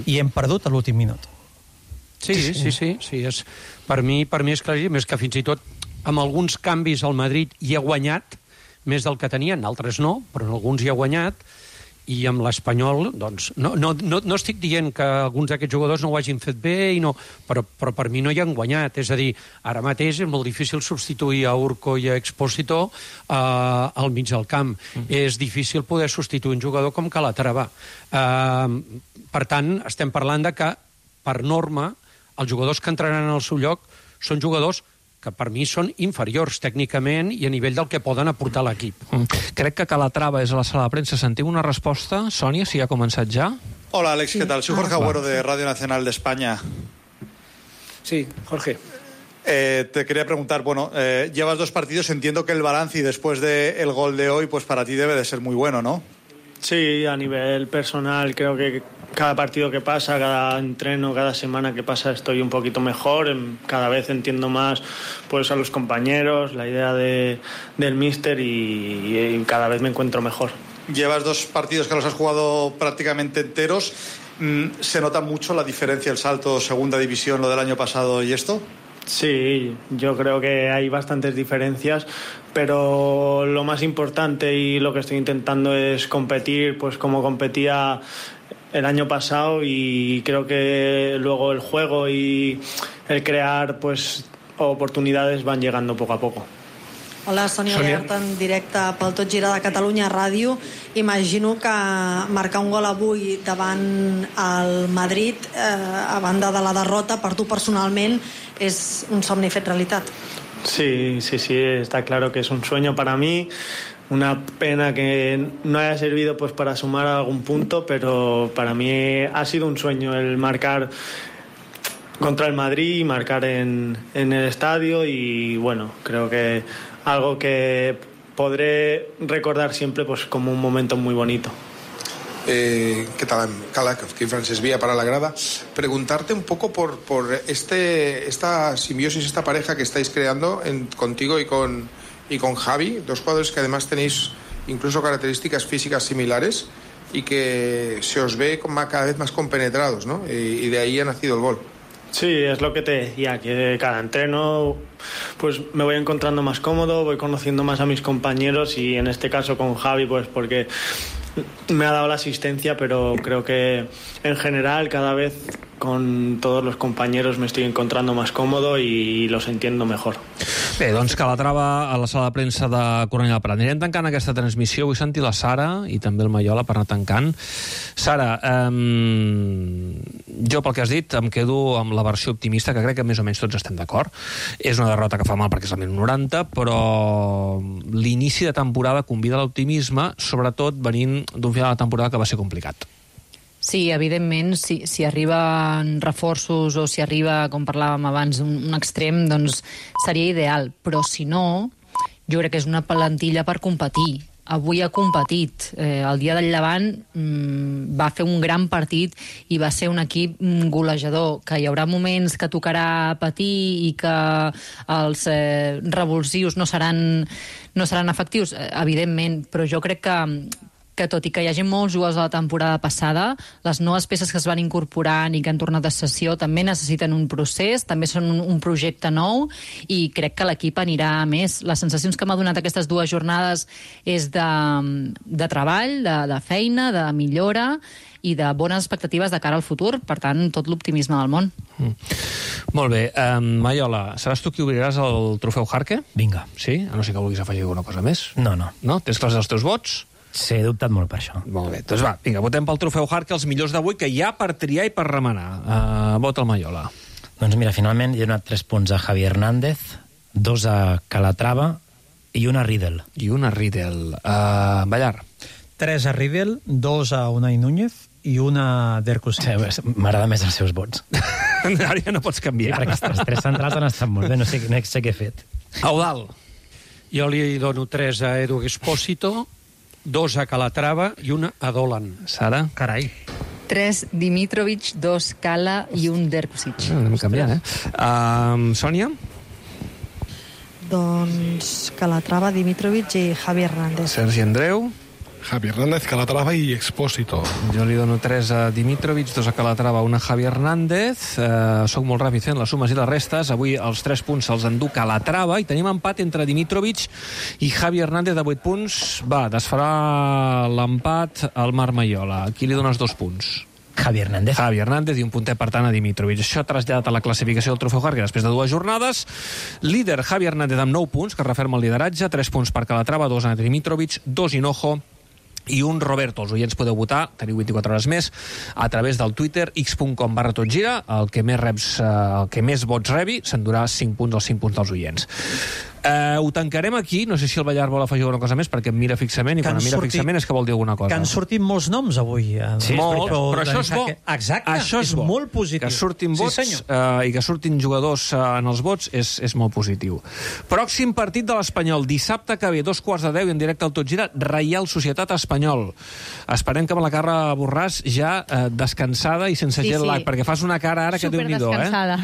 I hem perdut a l'últim minut. Sí. Per mi és claríssim, és que fins i tot amb alguns canvis el Madrid hi ha guanyat més del que tenia, en altres no, però en alguns hi ha guanyat, i amb l'Espanyol, doncs, no estic dient que alguns d'aquests jugadors no ho hagin fet bé, però per mi no hi han guanyat. És a dir, ara mateix és molt difícil substituir a Urco i a Expósito al mig del camp. És difícil poder substituir un jugador com Calatrava. Per tant, estem parlant de que, per norma, els jugadors que entraran al seu lloc són jugadors que per mi són inferiors tècnicament i a nivell del que poden aportar a l'equip. Crec que Calatrava és a la sala de premsa. Sentim una resposta? Sònia, si ha començat ja. Hola, Alex, ¿qué tal? Soy Jorge Agüero de Radio Nacional de España. Sí, Jorge. Te quería preguntar, llevas 2 partidos, entiendo que el balance y después del gol de hoy, pues para ti debe de ser muy bueno, ¿no? Sí, a nivel personal creo que cada partido que pasa, cada entreno, cada semana que pasa estoy un poquito mejor, cada vez entiendo más pues a los compañeros, la idea del míster y cada vez me encuentro mejor. Llevas 2 partidos que los has jugado prácticamente enteros. ¿Se nota mucho la diferencia, el salto segunda división, lo del año pasado y esto? Sí, yo creo que hay bastantes diferencias, pero lo más importante y lo que estoy intentando es competir pues como competía el año pasado, y creo que luego el juego y el crear pues oportunidades van llegando poco a poco. Hola, Sònia Lerta, en directe pel Tot Gira de Catalunya Ràdio. Imagino que marcar un gol avui davant el Madrid, a banda de la derrota, per tu personalment és un somni fet realitat. Sí, está claro que es un sueño para mí. Una pena que no haya servido pues para sumar algún punto, pero para mí ha sido un sueño el marcar contra el Madrid, marcar en el estadio, y bueno, creo que algo que podré recordar siempre pues como un momento muy bonito. ¿Qué tal, Cala? Aquí Francesc Vía para la grada. Preguntarte un poco por esta simbiosis, esta pareja que estáis creando contigo y con Javi, 2 jugadores que además tenéis incluso características físicas similares y que se os ve cada vez más compenetrados, ¿no? Y de ahí ha nacido el gol. Sí, es lo que te decía, que cada entreno pues me voy encontrando más cómodo, voy conociendo más a mis compañeros y en este caso con Javi pues porque me ha dado la asistencia, pero creo que en general cada vez con todos los compañeros me estoy encontrando más cómodo y los entiendo mejor. Bé, doncs Calatrava a la sala de premsa de Cornellà del Prat. Anirem tancant aquesta transmissió. Vull sentir la Sara i també el Maiola per anar tancant. Sara, jo pel que has dit em quedo amb la versió optimista, que crec que més o menys tots estem d'acord. És una derrota que fa mal perquè és el 1090, però l'inici de temporada convida a l'optimisme, sobretot venint d'un final de temporada que va ser complicat. Sí, evidentment, si arriben reforços o si arriba, com parlàvem abans, un extrem, doncs seria ideal. Però si no, jo crec que és una plantilla per competir. Avui ha competit. El dia del Llevant va fer un gran partit i va ser un equip golejador, que hi haurà moments que tocarà patir i que els revulsius no seran efectius, evidentment, però jo crec que tot i que hi hagi molts jugadors de la temporada passada, les noves peces que es van incorporant i que han tornat de sessió també necessiten un procés, també són un projecte nou i crec que l'equip anirà a més. Les sensacions que m'ha donat aquestes 2 jornades és de treball, de feina, de millora i de bones expectatives de cara al futur. Per tant, tot l'optimisme del món. Molt bé. Maiola, seràs tu qui obriràs el trofeu Jarque? Vinga. Sí? A no ser que vulguis afegir alguna cosa més? No. No? Tens clars els teus vots? Sí, he dubtat molt per això. Molt bé, doncs va, vinga, votem pel trofeu Jarque els millors d'avui, que hi ha per triar i per remenar. Vota el Maiola. Doncs mira, finalment he donat 3 punts a Javi Hernández, 2 a Calatrava i 1 a Riedel. I 1 a Riedel. Ballar. 3 a Riedel, 2 a Unai Núñez i 1 a Derkusic. Sí, m'agrada més els seus vots. Ara ja no pots canviar. Sí, perquè els 3 centrals han estat molt bé, no sé què he fet. Eudald. Jo li dono 3 a Edu Expósito, 2 a Calatrava i 1 a Dolan. Sara? Carai. 3 Dimitrovic, 2 Cala i 1 Derkusic. Anem canviant, Sònia? Doncs Calatrava, Dimitrovic i Javi Hernández. Sergi Andreu? Javi Hernández, Calatrava i Expósito. Jo li dono 3 a Dimitrovic, 2 a Calatrava, 1 a Javi Hernández. Soc molt ràpid fent les sumes i les restes. Avui els 3 punts se'ls endú Calatrava i tenim empat entre Dimitrovic i Javi Hernández de 8 punts. Va, desfarà l'empat al Marc Maiola. Aquí li dones 2 punts. Javi Hernández i un puntet, per tant, a Dimitrovic. Això traslladat a la classificació del trofeu Jarque després de 2 jornades. Líder Javi Hernández amb 9 punts, que referma el lideratge. 3 punts per Calatrava, 2 a Dimitrovic, 2 Hinojo i 1 Roberto. Els oients podeu votar, teniu 24 hores més, a través del Twitter, x.com/totgira. El que més vots rebi s'endurà 5 punts, els 5 punts dels oients. Ho tancarem aquí. No sé si el Ballar vol afegir alguna cosa més, perquè em mira fixament, i quan em mira fixament és que vol dir alguna cosa. Que han sortit molts noms avui. Sí, molt, però això és bo. Exacte, això és bo. Molt positiu. Que surtin vots, i que surtin jugadors en els vots és molt positiu. Pròxim partit de l'Espanyol, dissabte que ve, 2:15 en directe al Tot Gira, Reial Societat Espanyol. Esperem que amb la Carla Borràs ja descansada i sense jet lag, perquè fas una cara ara que Déu-n'hi-do,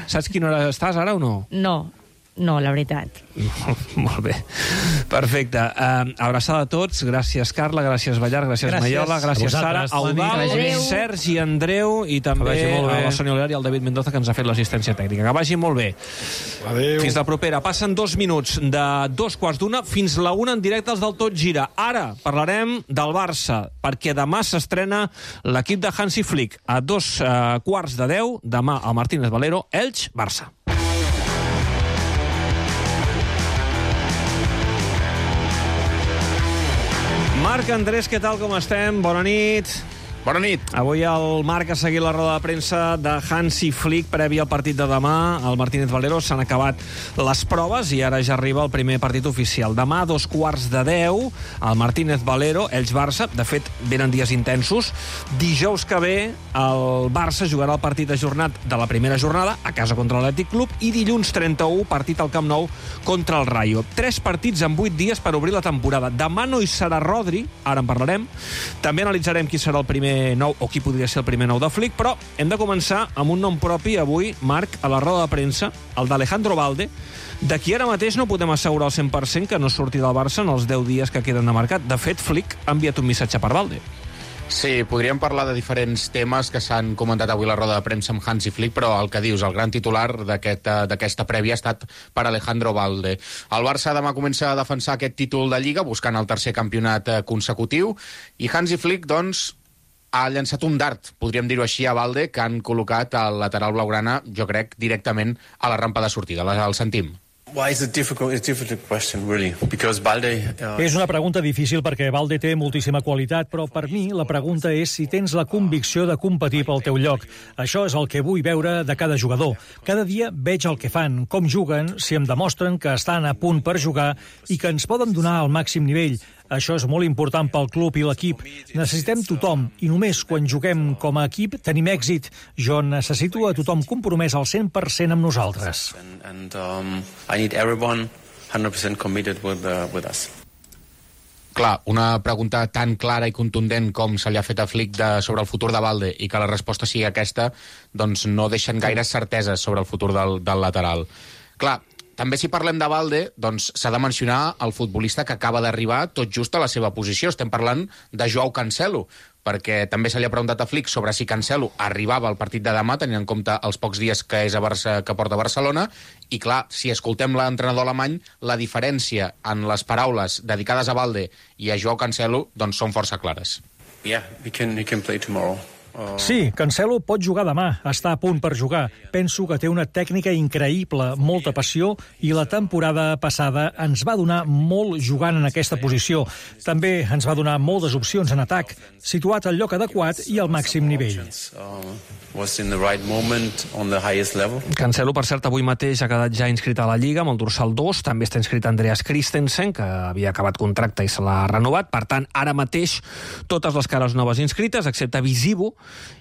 Saps quina hora estàs ara o no? No, la veritat. Molt bé. Perfecte. Abraçada a tots. Gràcies, Carla. Gràcies, Ballar. Gràcies, Maiola. Gràcies, Sara. Eudald, Sergi Andreu i també a la Sònia Oler i al David Mendoza, que ens ha fet l'assistència tècnica. Que vagi molt bé. Adéu. Fins la propera. Passen 2 minuts de 2:15 fins la 1 en directe als del Tot Gira. Ara parlarem del Barça, perquè demà s'estrena l'equip de Hansi Flick. A 2:15 demà al Martínez Valero, Elx, Barça. Marc Andrés, què tal, com estem? Bona nit. Bona nit. Avui el Marc ha seguit la roda de premsa de Hansi Flick previ al partit de demà. Al Martínez Valero s'han acabat les proves i ara ja arriba el primer partit oficial. Demà, 2:15, al Martínez Valero, Elx-Barça. De fet, venen dies intensos. Dijous que ve, el Barça jugarà el partit ajornat de la primera jornada a casa contra l'Atlètic Club i dilluns 31, partit al Camp Nou contra el Rayo. 3 partits en 8 dies per obrir la temporada. Demà no hi serà Rodri, ara en parlarem. També analitzarem qui serà el primer nou, o qui podria ser el primer nou de Flick, però hem de començar amb un nom propi avui, Marc, a la roda de premsa, el d'Alejandro Balde, de qui ara mateix no podem assegurar al 100% que no surti del Barça en els 10 dies que queden de mercat. De fet, Flick ha enviat un missatge per Balde. Sí, podríem parlar de diferents temes que s'han comentat avui a la roda de premsa amb Hansi Flick, però el que dius, el gran titular d'aquesta prèvia ha estat per Alejandro Balde. El Barça demà comença a defensar aquest títol de Lliga, buscant el tercer campionat consecutiu, i Hansi Flick, doncs, ha llançat un dart, podríem dir-ho així, a Balde, que han col·locat al lateral blaugrana, jo crec, directament a la rampa de sortida. El sentim. It's a difficult question, really, because Balde... És una pregunta difícil perquè Balde té moltíssima qualitat, però per mi la pregunta és si tens la convicció de competir pel teu lloc. Això és el que vull veure de cada jugador. Cada dia veig el que fan, com juguen, si em demostren que estan a punt per jugar i que ens poden donar el màxim nivell. Això és molt important pel club i l'equip. Necessitem tothom, i només quan juguem com a equip tenim èxit. Jo necessito a tothom compromès al 100% amb nosaltres. I need everyone 100% committed with us. Clar, una pregunta tan clara i contundent com se li ha fet a Flick sobre el futur de Balde i que la resposta sigui aquesta, doncs no deixen gaire certeses sobre el futur del lateral. Clar, també si parlem de Balde, doncs s'ha de mencionar el futbolista que acaba d'arribar tot just a la seva posició. Estem parlant de Joao Cancelo, perquè també se li ha preguntat a Flick sobre si Cancelo arribava al partit de demà, tenint en compte els pocs dies que porta a Barcelona, i clar, si escoltem l'entrenador alemany, la diferència en les paraules dedicades a Balde i a Joao Cancelo doncs són força clares. Yeah, he can play tomorrow. Sí, Cancelo pot jugar demà, està a punt per jugar. Penso que té una tècnica increïble, molta passió, i la temporada passada ens va donar molt jugant en aquesta posició. També ens va donar moltes opcions en atac, situat al lloc adequat i al màxim nivell. Cancelo, per cert, avui mateix ha quedat ja inscrit a la Lliga amb el dorsal 2. També està inscrit Andreas Christensen, que havia acabat contracte i se l'ha renovat. Per tant, ara mateix totes les cares noves inscrites, excepte Visivo,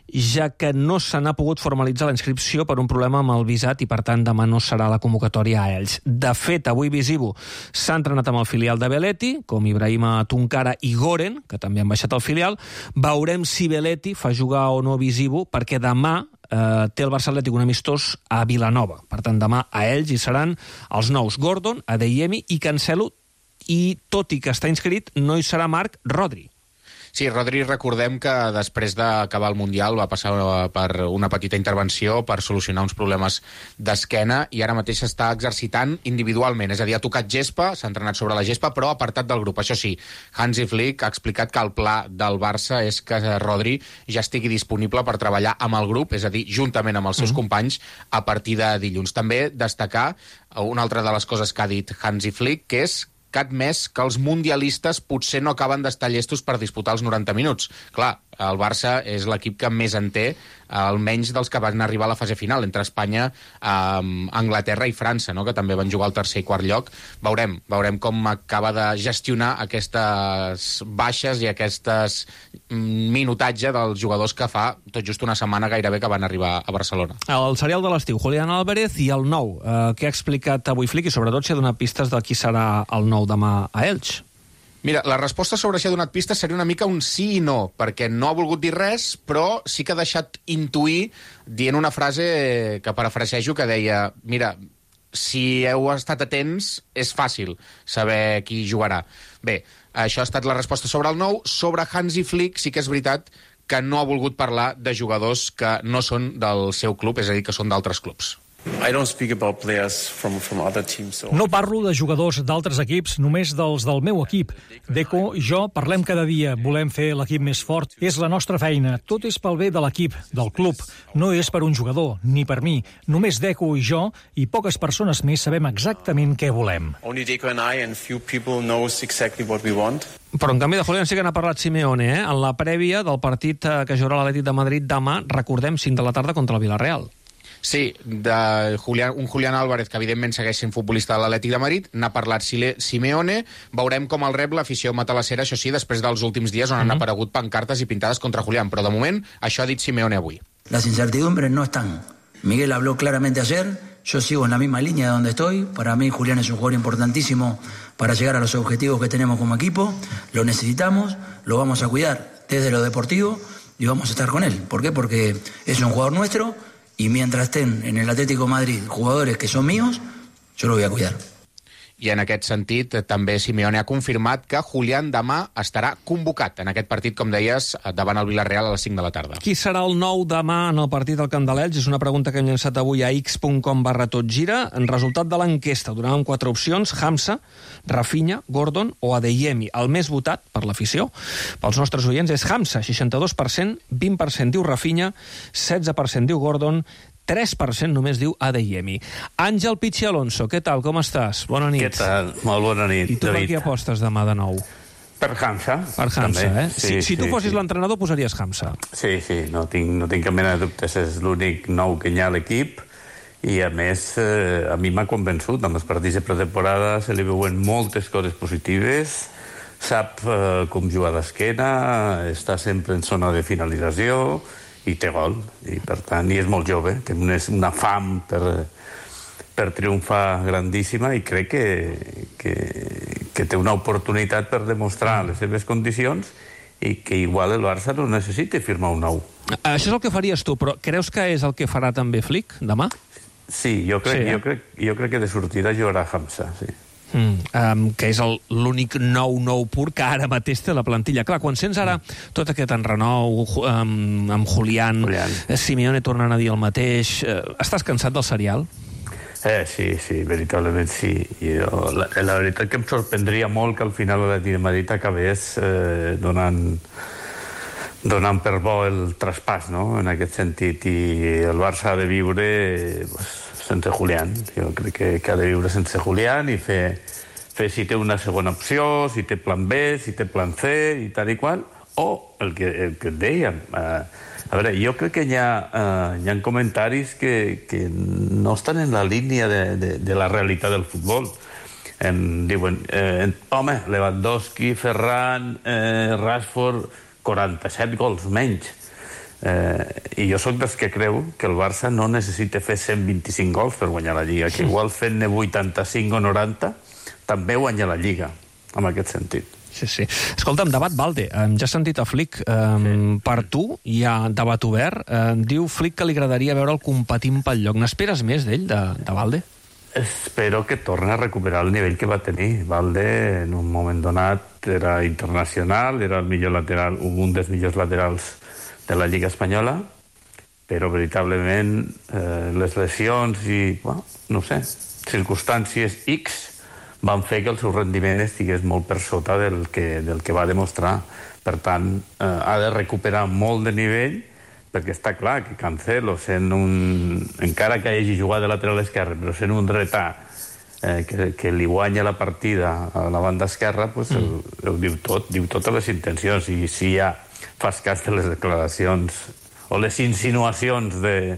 ja que no se n'ha pogut formalitzar la inscripció per un problema amb el visat i, per tant, demà no serà la convocatòria a ells. De fet, avui Visivo s'ha entrenat amb el filial de Belletti, com Ibrahima Tunkara i Goren, que també han baixat al filial. Veurem si Belletti fa jugar o no Visivo, perquè demà té el Barça Atlètic un amistós a Vilanova. Per tant, demà a ells hi seran els nous Gordon, Adeyemi i Cancelo, i tot i que està inscrit, no hi serà Marc Rodri. Sí, Rodri, recordem que després d'acabar el Mundial va passar per una petita intervenció per solucionar uns problemes d'esquena i ara mateix s'està exercitant individualment, és a dir, ha tocat gespa, s'ha entrenat sobre la gespa, però apartat del grup. Això sí, Hansi Flick ha explicat que el pla del Barça és que Rodri ja estigui disponible per treballar amb el grup, és a dir, juntament amb els seus companys a partir de dilluns. També destacar una altra de les coses que ha dit Hansi Flick, que és que ha admès que els mundialistes potser no acaben d'estar llestos per disputar els 90 minuts. Clar, el Barça és l'equip que més en té, almenys dels que van arribar a la fase final, entre Espanya, Anglaterra i França, no? Que també van jugar al tercer i quart lloc. Veurem com acaba de gestionar aquestes baixes i aquestes minutatge dels jugadors que fa tot just una setmana gairebé que van arribar a Barcelona. El serial de l'estiu, Julián Álvarez i el nou, que ha explicat avui Flick i sobretot si ha donat pistes de qui serà el nou demà a Elx. Mira, la resposta sobre si ha donat pistes seria una mica un sí i no, perquè no ha volgut dir res, però sí que ha deixat intuir dient una frase que parafrasejo que deia, mira, si heu estat atents, és fàcil saber qui jugarà. Bé, això ha estat la resposta sobre el nou. Sobre Hansi Flick sí que és veritat que no ha volgut parlar de jugadors que no són del seu club, és a dir, que són d'altres clubs. No parlo de jugadors d'altres equips, només dels del meu equip. Deco i jo parlem cada dia, volem fer l'equip més fort. És la nostra feina, tot és pel bé de l'equip, del club. No és per un jugador, ni per mi. Només Deco i jo, i poques persones més, sabem exactament què volem. Però en canvi de Julián sí que n'ha parlat Simeone, en la prèvia del partit que jugarà l'Atlètic de Madrid demà, recordem, 5 de la tarda contra el Villarreal. Sí, un Julián Álvarez que evidentment segueix sent futbolista de l'Atlètic de Madrid, n'ha parlat Simeone, veurem com el rep l'afició matalassera, això sí, després dels últims dies on han aparegut pancartes i pintades contra Julián, però de moment això ha dit Simeone avui. Las incertidumbres no están. Miguel habló claramente ayer, yo sigo en la misma línea de donde estoy, para mí Julián es un jugador importantísimo para llegar a los objetivos que tenemos como equipo, lo necesitamos, lo vamos a cuidar desde lo deportivo y vamos a estar con él. ¿Por qué? Porque es un jugador nuestro. Y mientras estén en el Atlético de Madrid jugadores que son míos, yo lo voy a cuidar. i en aquest sentit també Simeone ha confirmat que Julián demà estarà convocat en aquest partit, com deies, davant el Villarreal a les 5 de la tarda. Qui serà el nou demà en el partit del Camp de l'Elx? És una pregunta que hem llançat avui a x.com/totgira. En resultat de l'enquesta donàvem 4 opcions: Hamza, Rafinha, Gordon o Adeyemi. El més votat per l'afició pels nostres oients és Hamza, 62%, 20% diu Rafinha, 16% diu Gordon, 3% només diu Adeyemi. Àngel Pichi Alonso, què tal, com estàs? Bona nit. Què tal? Molt bona nit, I tu per qui apostes demà de nou? Per Hamza. Per Hamza, també. eh? Si tu fossis l'entrenador, posaries Hamza. Sí, no tinc cap mena de dubtes. És l'únic nou que hi ha a l'equip i, a més, a mi m'ha convençut. En els partits de pretemporada se li veuen moltes coses positives, sap com jugar d'esquena, està sempre en zona de finalització i té gol, i per tant, és molt jove, té una fam per triomfar grandíssima, i crec que té una oportunitat per demostrar les seves condicions i que igual el Barça no necessita firmar un nou. Això és el que faries tu, però creus que és el que farà també Flick demà? Sí, jo crec que de sortida jugarà Hamza, sí. Que és l'únic nou pur que ara mateix té la plantilla. Clar, quan sents ara tot aquest enrenou amb Julián, Simeone tornant a dir el mateix, estàs cansat del serial? Sí, veritablement sí. La veritat que em sorprendria molt que al final l'Atlètic de Madrid acabés donant per bo el traspàs, no?, en aquest sentit, i el Barça ha de viure sense Julián. Jo crec que ha de viure sense Julián i fer si té una segona opció, si té plan B, si té plan C i tal i qual, o el que et dèiem. A veure, jo crec que hi ha comentaris que no estan en la línia de la realitat del futbol. Diuen, home, Lewandowski, Ferran, Rashford, 47 gols menys. I jo sóc dels que creu que el Barça no necessita fer 125 gols per guanyar la Lliga, que igual fent-ne 85 o 90 també guanya la Lliga, en aquest sentit. Sí. Escolta'm, debat Valde. Ja has sentit a Flick. Per tu hi ha debat obert. Diu Flick que li agradaria veure'l competint pel lloc. N'esperes més d'ell, de Valde? Espero que torni a recuperar el nivell que va tenir. Valde, en un moment donat, era internacional, era el millor lateral, un dels millors laterals de la Lliga Espanyola, però veritablement les lesions i, no sé, circumstàncies X van fer que el seu rendiment estigués molt per sota del que va demostrar. Per tant, ha de recuperar molt de nivell, perquè està clar que Cancelo, encara que hagi jugat de lateral esquerre, però sent un retà que li guanya la partida a la banda esquerra, ho diu totes les intencions. I si ja fas cas de les declaracions o les insinuacions del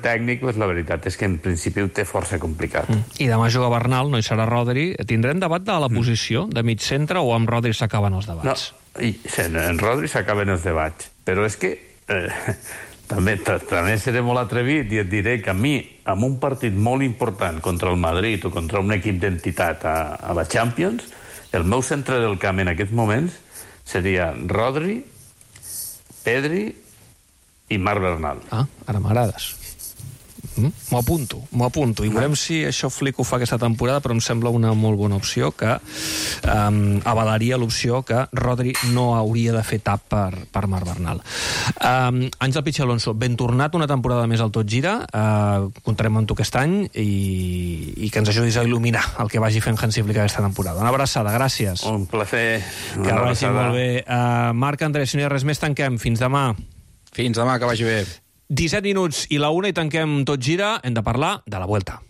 tècnic, la veritat és que en principi ho té força complicat. I demà juga Bernal, no hi serà Rodri. Tindrem debat de la posició de mig centre o amb Rodri s'acaben els debats? No, en Rodri s'acaben els debats, però és que també seré molt atrevit i et diré que a mi, amb un partit molt important contra el Madrid o contra un equip d'entitat a la Champions, el meu centre del camp en aquests moments seria Rodri, Pedri i Marc Bernal. Ara m'agrades. M'ho apunto. I veurem si això Flick ho fa aquesta temporada, però em sembla una molt bona opció que avalaria l'opció que Rodri no hauria de fer tap per Marc Bernal. Àngel Pichi Alonso, ben tornat una temporada més al Tot Gira. Comptarem amb tu aquest any i que ens ajudis a il·luminar el que vagi fent Hansi Flick aquesta temporada. Una abraçada, gràcies. Un plaer. Que vagi molt bé. Marc Andrés, si no hi ha res més, tanquem. Fins demà. Fins demà, que vagi bé. 17 minuts i la 1 i tanquem Tot Gira. Hem de parlar de la Vuelta.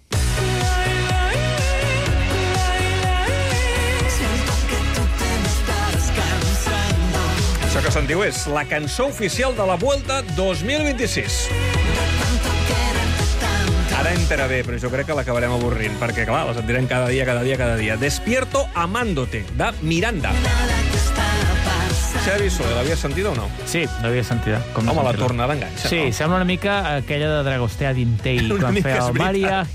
Això que sentiu és la cançó oficial de la Vuelta 2026. Ara entra bé, però jo crec que l'acabarem avorrint, perquè, clar, la sentirem cada dia. Despierto amándote, de Miranda. Xavi Soler, l'havies sentida o no? Sí, l'havia sentida. Home, la tornada enganxa, sí, no? Sembla una mica aquella de Dragostea Dintei, quan feia el Maria...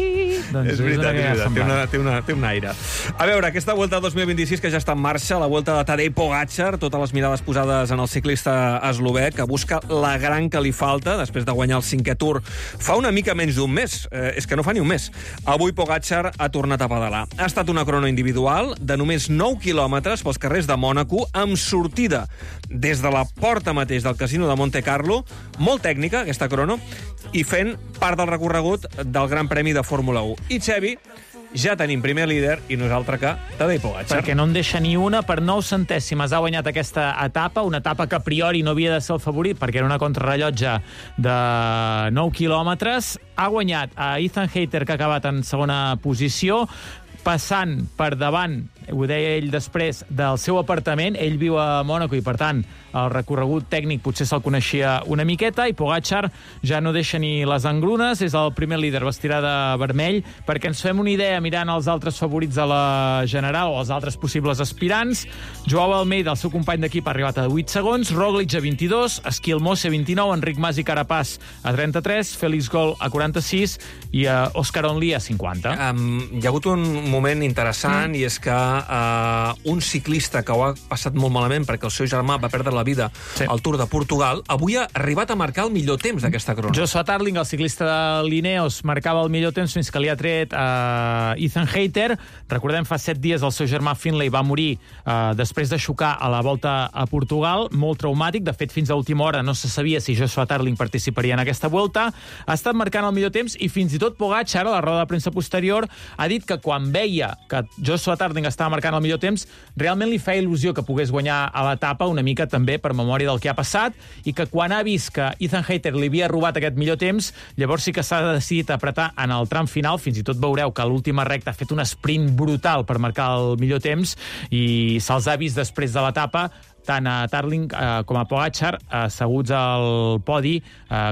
Doncs és veritat, té un aire. A veure, aquesta Vuelta 2026 que ja està en marxa, la Vuelta de Tadej Pogačar, totes les mirades posades en el ciclista eslovè, que busca la gran que li falta, després de guanyar el 5è Tour fa una mica menys d'un mes. És que no fa ni un mes. Avui Pogačar ha tornat a pedalar. Ha estat una crono individual de només 9 quilòmetres pels carrers de Mònaco, amb sortida des de la porta mateix del casino de Monte Carlo, molt tècnica, aquesta crono, i fent part del recorregut del Gran Premi de Fórmula 1. I Xevi, ja tenim primer líder i no és altre que Tadej Pogačar. Perquè no en deixa ni una, per 9 centèsimes ha guanyat aquesta etapa, una etapa que a priori no havia de ser el favorit perquè era una contrarrellotge de 9 quilòmetres. Ha guanyat a Ethan Hayter, que ha acabat en segona posició, passant per davant, ho deia ell després, del seu apartament. Ell viu a Mònaco i, per tant, el recorregut tècnic potser se'l coneixia una miqueta, i Pogačar ja no deixa ni les engrunes, és el primer líder, vestirà de vermell, perquè ens fem una idea mirant els altres favorits de la general o els altres possibles aspirants. Joao Almeida, el seu company d'equip, ha arribat a 8 segons, Roglic a 22, Esquil Mosse a 29, Enric Mas i Carapaz a 33, Félix Gol a 46 i Òscar Onlí a 50. Hi ha hagut un moment interessant i és que un ciclista que ho ha passat molt malament perquè el seu germà va perdre la vida al Tour de Portugal, avui ha arribat a marcar el millor temps d'aquesta crono. Joshua Tarling, el ciclista de l'Ineos, marcava el millor temps fins que li ha tret Ethan Hayter. Recordem, fa 7 dies el seu germà Finlay va morir després de xocar a la Volta a Portugal, molt traumàtic. De fet, fins a última hora no se sabia si Joshua Tarling participaria en aquesta Vuelta. Ha estat marcant el millor temps i fins i tot Pogačar, a la roda de premsa posterior, ha dit que quan veia que Joshua Tarling estava marcant el millor temps, realment li feia il·lusió que pogués guanyar a l'etapa, una mica també per memòria del que ha passat, i que quan ha vist que Ethan Hayter li havia robat aquest millor temps, llavors sí que s'ha decidit apretar en el tram final. Fins i tot veureu que a l'última recta ha fet un sprint brutal per marcar el millor temps i se'ls ha vist després de l'etapa, tant a Tarling com a Pogačar, asseguts al podi,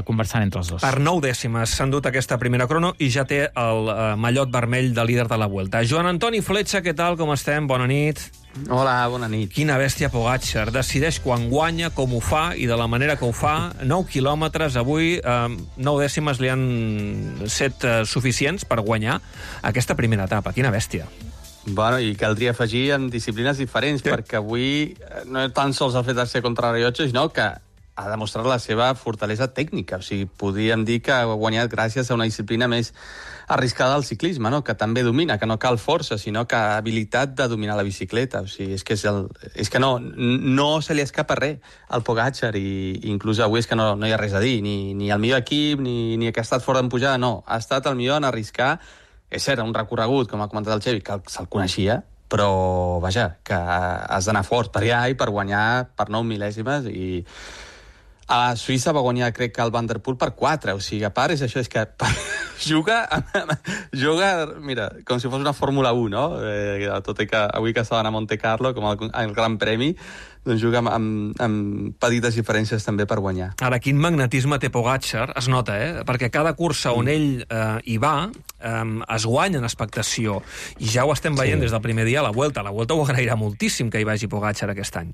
conversant entre els dos. Per 9 dècimes s'han dut aquesta primera crono i ja té el mallot vermell de líder de la Vuelta. Joan Antoni Fletxa, què tal, com estem? Bona nit. Hola, bona nit. Quina bèstia Pogačar. Decideix quan guanya, com ho fa i de la manera que ho fa. 9 quilòmetres avui, 9 dècimes li han set suficients per guanyar aquesta primera etapa. Quina bèstia. Bueno, i caldria afegir en disciplines diferents, perquè avui no tan sols el fet de ser contrarrellotge, sinó que ha demostrat la seva fortalesa tècnica. O sigui, podríem dir que ha guanyat gràcies a una disciplina més arriscada al ciclisme, no? Que també domina, que no cal força, sinó que habilitat de dominar la bicicleta. O sigui, és que no se li escapa res al Pogačar, i inclús avui és que no hi ha res a dir, ni el millor equip, ni que ha estat fora d'empujada, no. Ha estat el millor en arriscar. És cert, un recorregut, com ha comentat el Xevi, que se'l coneixia, però, vaja, que has d'anar fort per allà i per guanyar per 9 mil·lèsimes, i a Suïssa va guanyar, crec que el Van der Poel per 4, o sigui, a part és això, és que juga, mira, com si fos una Fórmula 1, no? Tot i que avui que estaven a Monte Carlo, com el Gran Premi, doncs juga amb petites diferències també per guanyar. Ara, quin magnetisme té Pogačar, es nota, perquè cada cursa on ell hi va es guanya en expectació, i ja ho estem veient des del primer dia a la Vuelta. La Vuelta ho agrairà moltíssim que hi vagi Pogačar aquest any.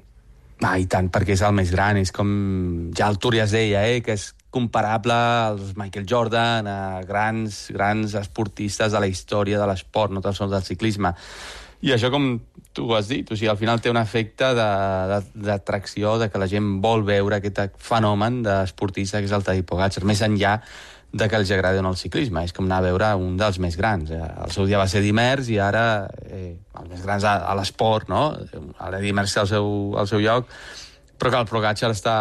I tant, perquè és el més gran, és com ja el Tour ja es deia, que és comparable als Michael Jordan, a grans esportistes de la història de l'esport, no tan sols del ciclisme. I això, com tu has dit, o sigui, al final té un efecte d'atracció, de que la gent vol veure aquest fenomen d'esportista que és el Tadej Pogačar, més enllà de que els agradi o no el ciclisme. És com anar a veure un dels més grans. El seu dia va ser Dimers i ara els més grans a l'esport, no? Ara Dimers té al seu lloc, però que el Pogačar està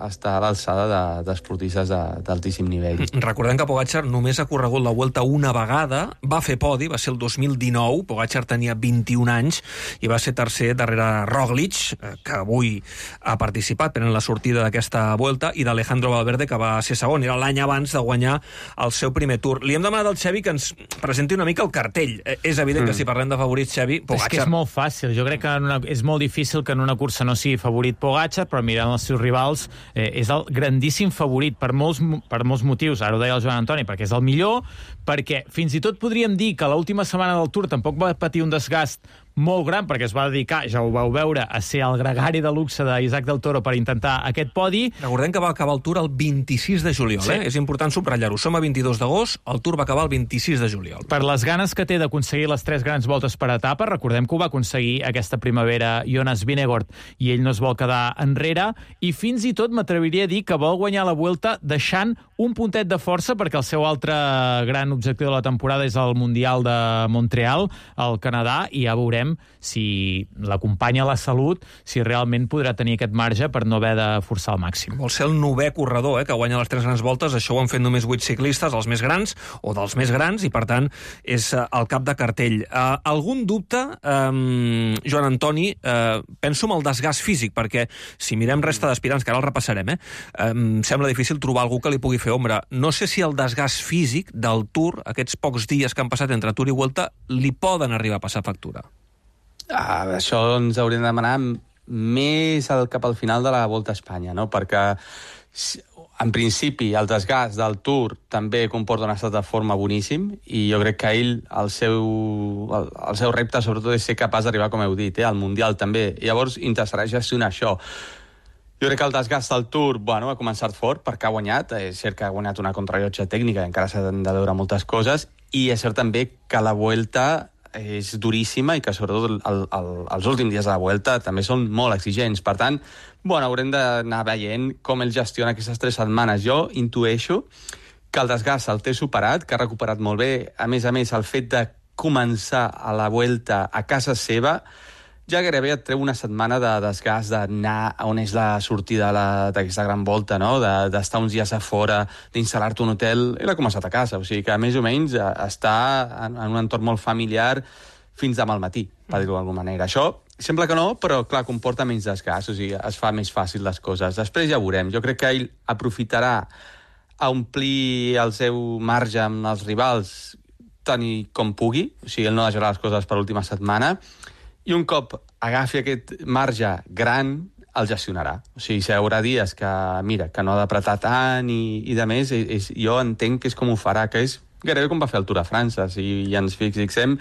a l'alçada d'esportistes d'altíssim nivell. Recordem que Pogačar només ha corregut la Vuelta una vegada, va fer podi, va ser el 2019, Pogačar tenia 21 anys i va ser tercer darrere Roglic, que avui ha participat prenent la sortida d'aquesta Vuelta, i d'Alejandro Valverde, que va ser segon. Era l'any abans de guanyar el seu primer Tour. Li hem demanat al Xevi que ens presenti una mica el cartell. És evident que si parlem de favorits, Xevi, Pogačar... És que és molt fàcil. Jo crec que és molt difícil que en una cursa no sigui favorit Pogačar, però mirant els seus rivals és el grandíssim favorit per molts motius. Ara ho deia el Joan Antoni, perquè és el millor, perquè fins i tot podríem dir que l'última setmana del Tour tampoc va patir un desgast molt gran, perquè es va dedicar, ja ho vau veure, a ser el gregari de luxe d'Isaac del Toro per intentar aquest podi. Recordem que va acabar el Tour el 26 de juliol, sí. És important subratllar-ho. Som a 22 d'agost, el Tour va acabar el 26 de juliol. Per les ganes que té d'aconseguir les 3 grans voltes per etapa, recordem que ho va aconseguir aquesta primavera Jonas Vingegaard, i ell no es vol quedar enrere, i fins i tot m'atreviria a dir que vol guanyar la Vuelta deixant un puntet de força, perquè el seu altre gran objectiu de la temporada és el Mundial de Montreal, al Canadà, i ja veurem si l'acompanya la salut, si realment podrà tenir aquest marge per no haver de forçar al màxim. Vol ser el 9è corredor que guanya les 3 grans voltes. Això ho han fet només 8 ciclistes, els més grans o dels més grans, i per tant és el cap de cartell. Algun dubte, Joan Antoni? Penso en el desgast físic, perquè si mirem resta d'aspirants, que ara el repassarem, sembla difícil trobar algú que li pugui fer ombra. No sé si el desgast físic del Tour, aquests pocs dies que han passat entre Tour i Vuelta, li poden arribar a passar factura. Això ens hauríem de demanar més cap al final de la Volta a Espanya, no? Perquè en principi el desgast del Tour també comporta un estat de forma boníssim, i jo crec que ell, el seu repte sobretot és ser capaç d'arribar, com heu dit, al Mundial també. Llavors interessarà gestionar això. Jo crec que el desgast del Tour, ha començat fort perquè ha guanyat. És cert que ha guanyat una contrarellotge tècnica, encara s'han de veure moltes coses, i és cert també que la Vuelta és duríssima i que sobretot els últims dies de la Vuelta també són molt exigents. Per tant, haurem d'anar veient com ell gestiona aquestes 3 setmanes. Jo intueixo que el desgast el té superat, que ha recuperat molt bé. A més, el fet de començar a la Vuelta a casa seva ja gairebé et treu una setmana de desgast, d'anar on és la sortida d'aquesta gran volta, no? D'estar uns dies a fora, d'instal·lar-te un hotel. Ell ha començat a casa, o sigui que més o menys està en un entorn molt familiar fins demà al matí, per dir-ho d'alguna manera. Això sembla que no, però clar, comporta menys desgast, o sigui, es fa més fàcil les coses. Després ja veurem. Jo crec que ell aprofitarà a omplir el seu marge amb els rivals tant com pugui, o sigui, ell no deixarà les coses per l'última setmana, i un cop agafi aquest marge gran, el gestionarà. O sigui, si hi haurà dies que, que no ha d'apretar tant i de més, jo entenc que és com ho farà, que és gairebé com va fer el Tour de França. Si ens fixem,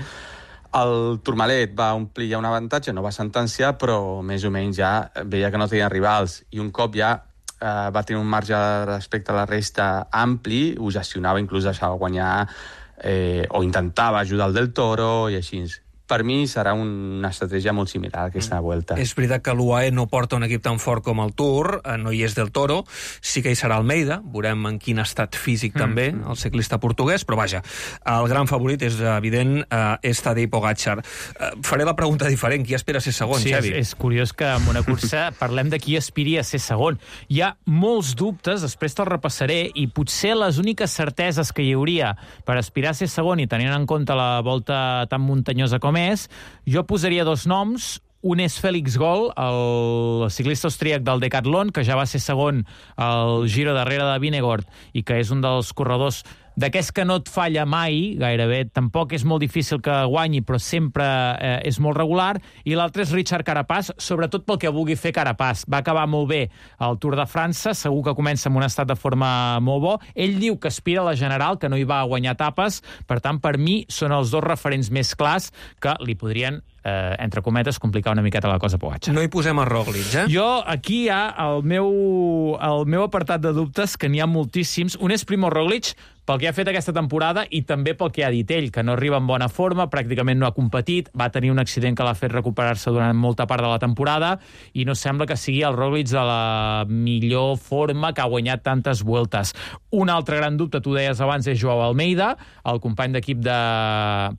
el Tourmalet va omplir ja un avantatge, no va sentenciar, però més o menys ja veia que no tenia rivals, i un cop ja va tenir un marge respecte a la resta ampli, ho gestionava, inclús deixava guanyar o intentava ajudar el Del Toro i així. Per mi serà una estratègia molt similar a aquesta Vuelta. És veritat que l'UAE no porta un equip tan fort com el Tour, no hi és Del Toro, sí que hi serà Almeida, veurem en quin estat físic també, el ciclista portuguès, però vaja, el gran favorit és evident, és Tadej Pogačar. Faré la pregunta diferent, qui espera ser segon, Xavi? Sí, és curiós que en una cursa parlem de qui aspiria a ser segon. Hi ha molts dubtes, després te'l repassaré, i potser les úniques certeses que hi hauria per aspirar a ser segon, i tenint en compte la volta tan muntanyosa com jo posaria 2 noms. Un és Félix Gol, el ciclista austríac del Decathlon, que ja va ser segon al Giro darrere de Vingegaard i que és un dels corredors d'aquests que no et falla mai, gairebé. Tampoc és molt difícil que guanyi, però sempre és molt regular. I l'altre és Richard Carapaz, sobretot pel que vulgui fer Carapaz. Va acabar molt bé al Tour de França, segur que comença amb un estat de forma molt bo. Ell diu que aspira a la General, que no hi va guanyar etapes. Per tant, per mi, són els 2 referents més clars que li podrien entre cometes, complicar una miqueta la cosa a Pogačar. No hi posem a Roglic, Jo, aquí hi ha el meu apartat de dubtes, que n'hi ha moltíssims. Un és Primo Roglic, pel que ha fet aquesta temporada i també pel que ha dit ell, que no arriba en bona forma, pràcticament no ha competit, va tenir un accident que l'ha fet recuperar-se durant molta part de la temporada i no sembla que sigui el Roglic de la millor forma, que ha guanyat tantes Vueltes. Un altre gran dubte, tu deies abans, és Joao Almeida, el company d'equip de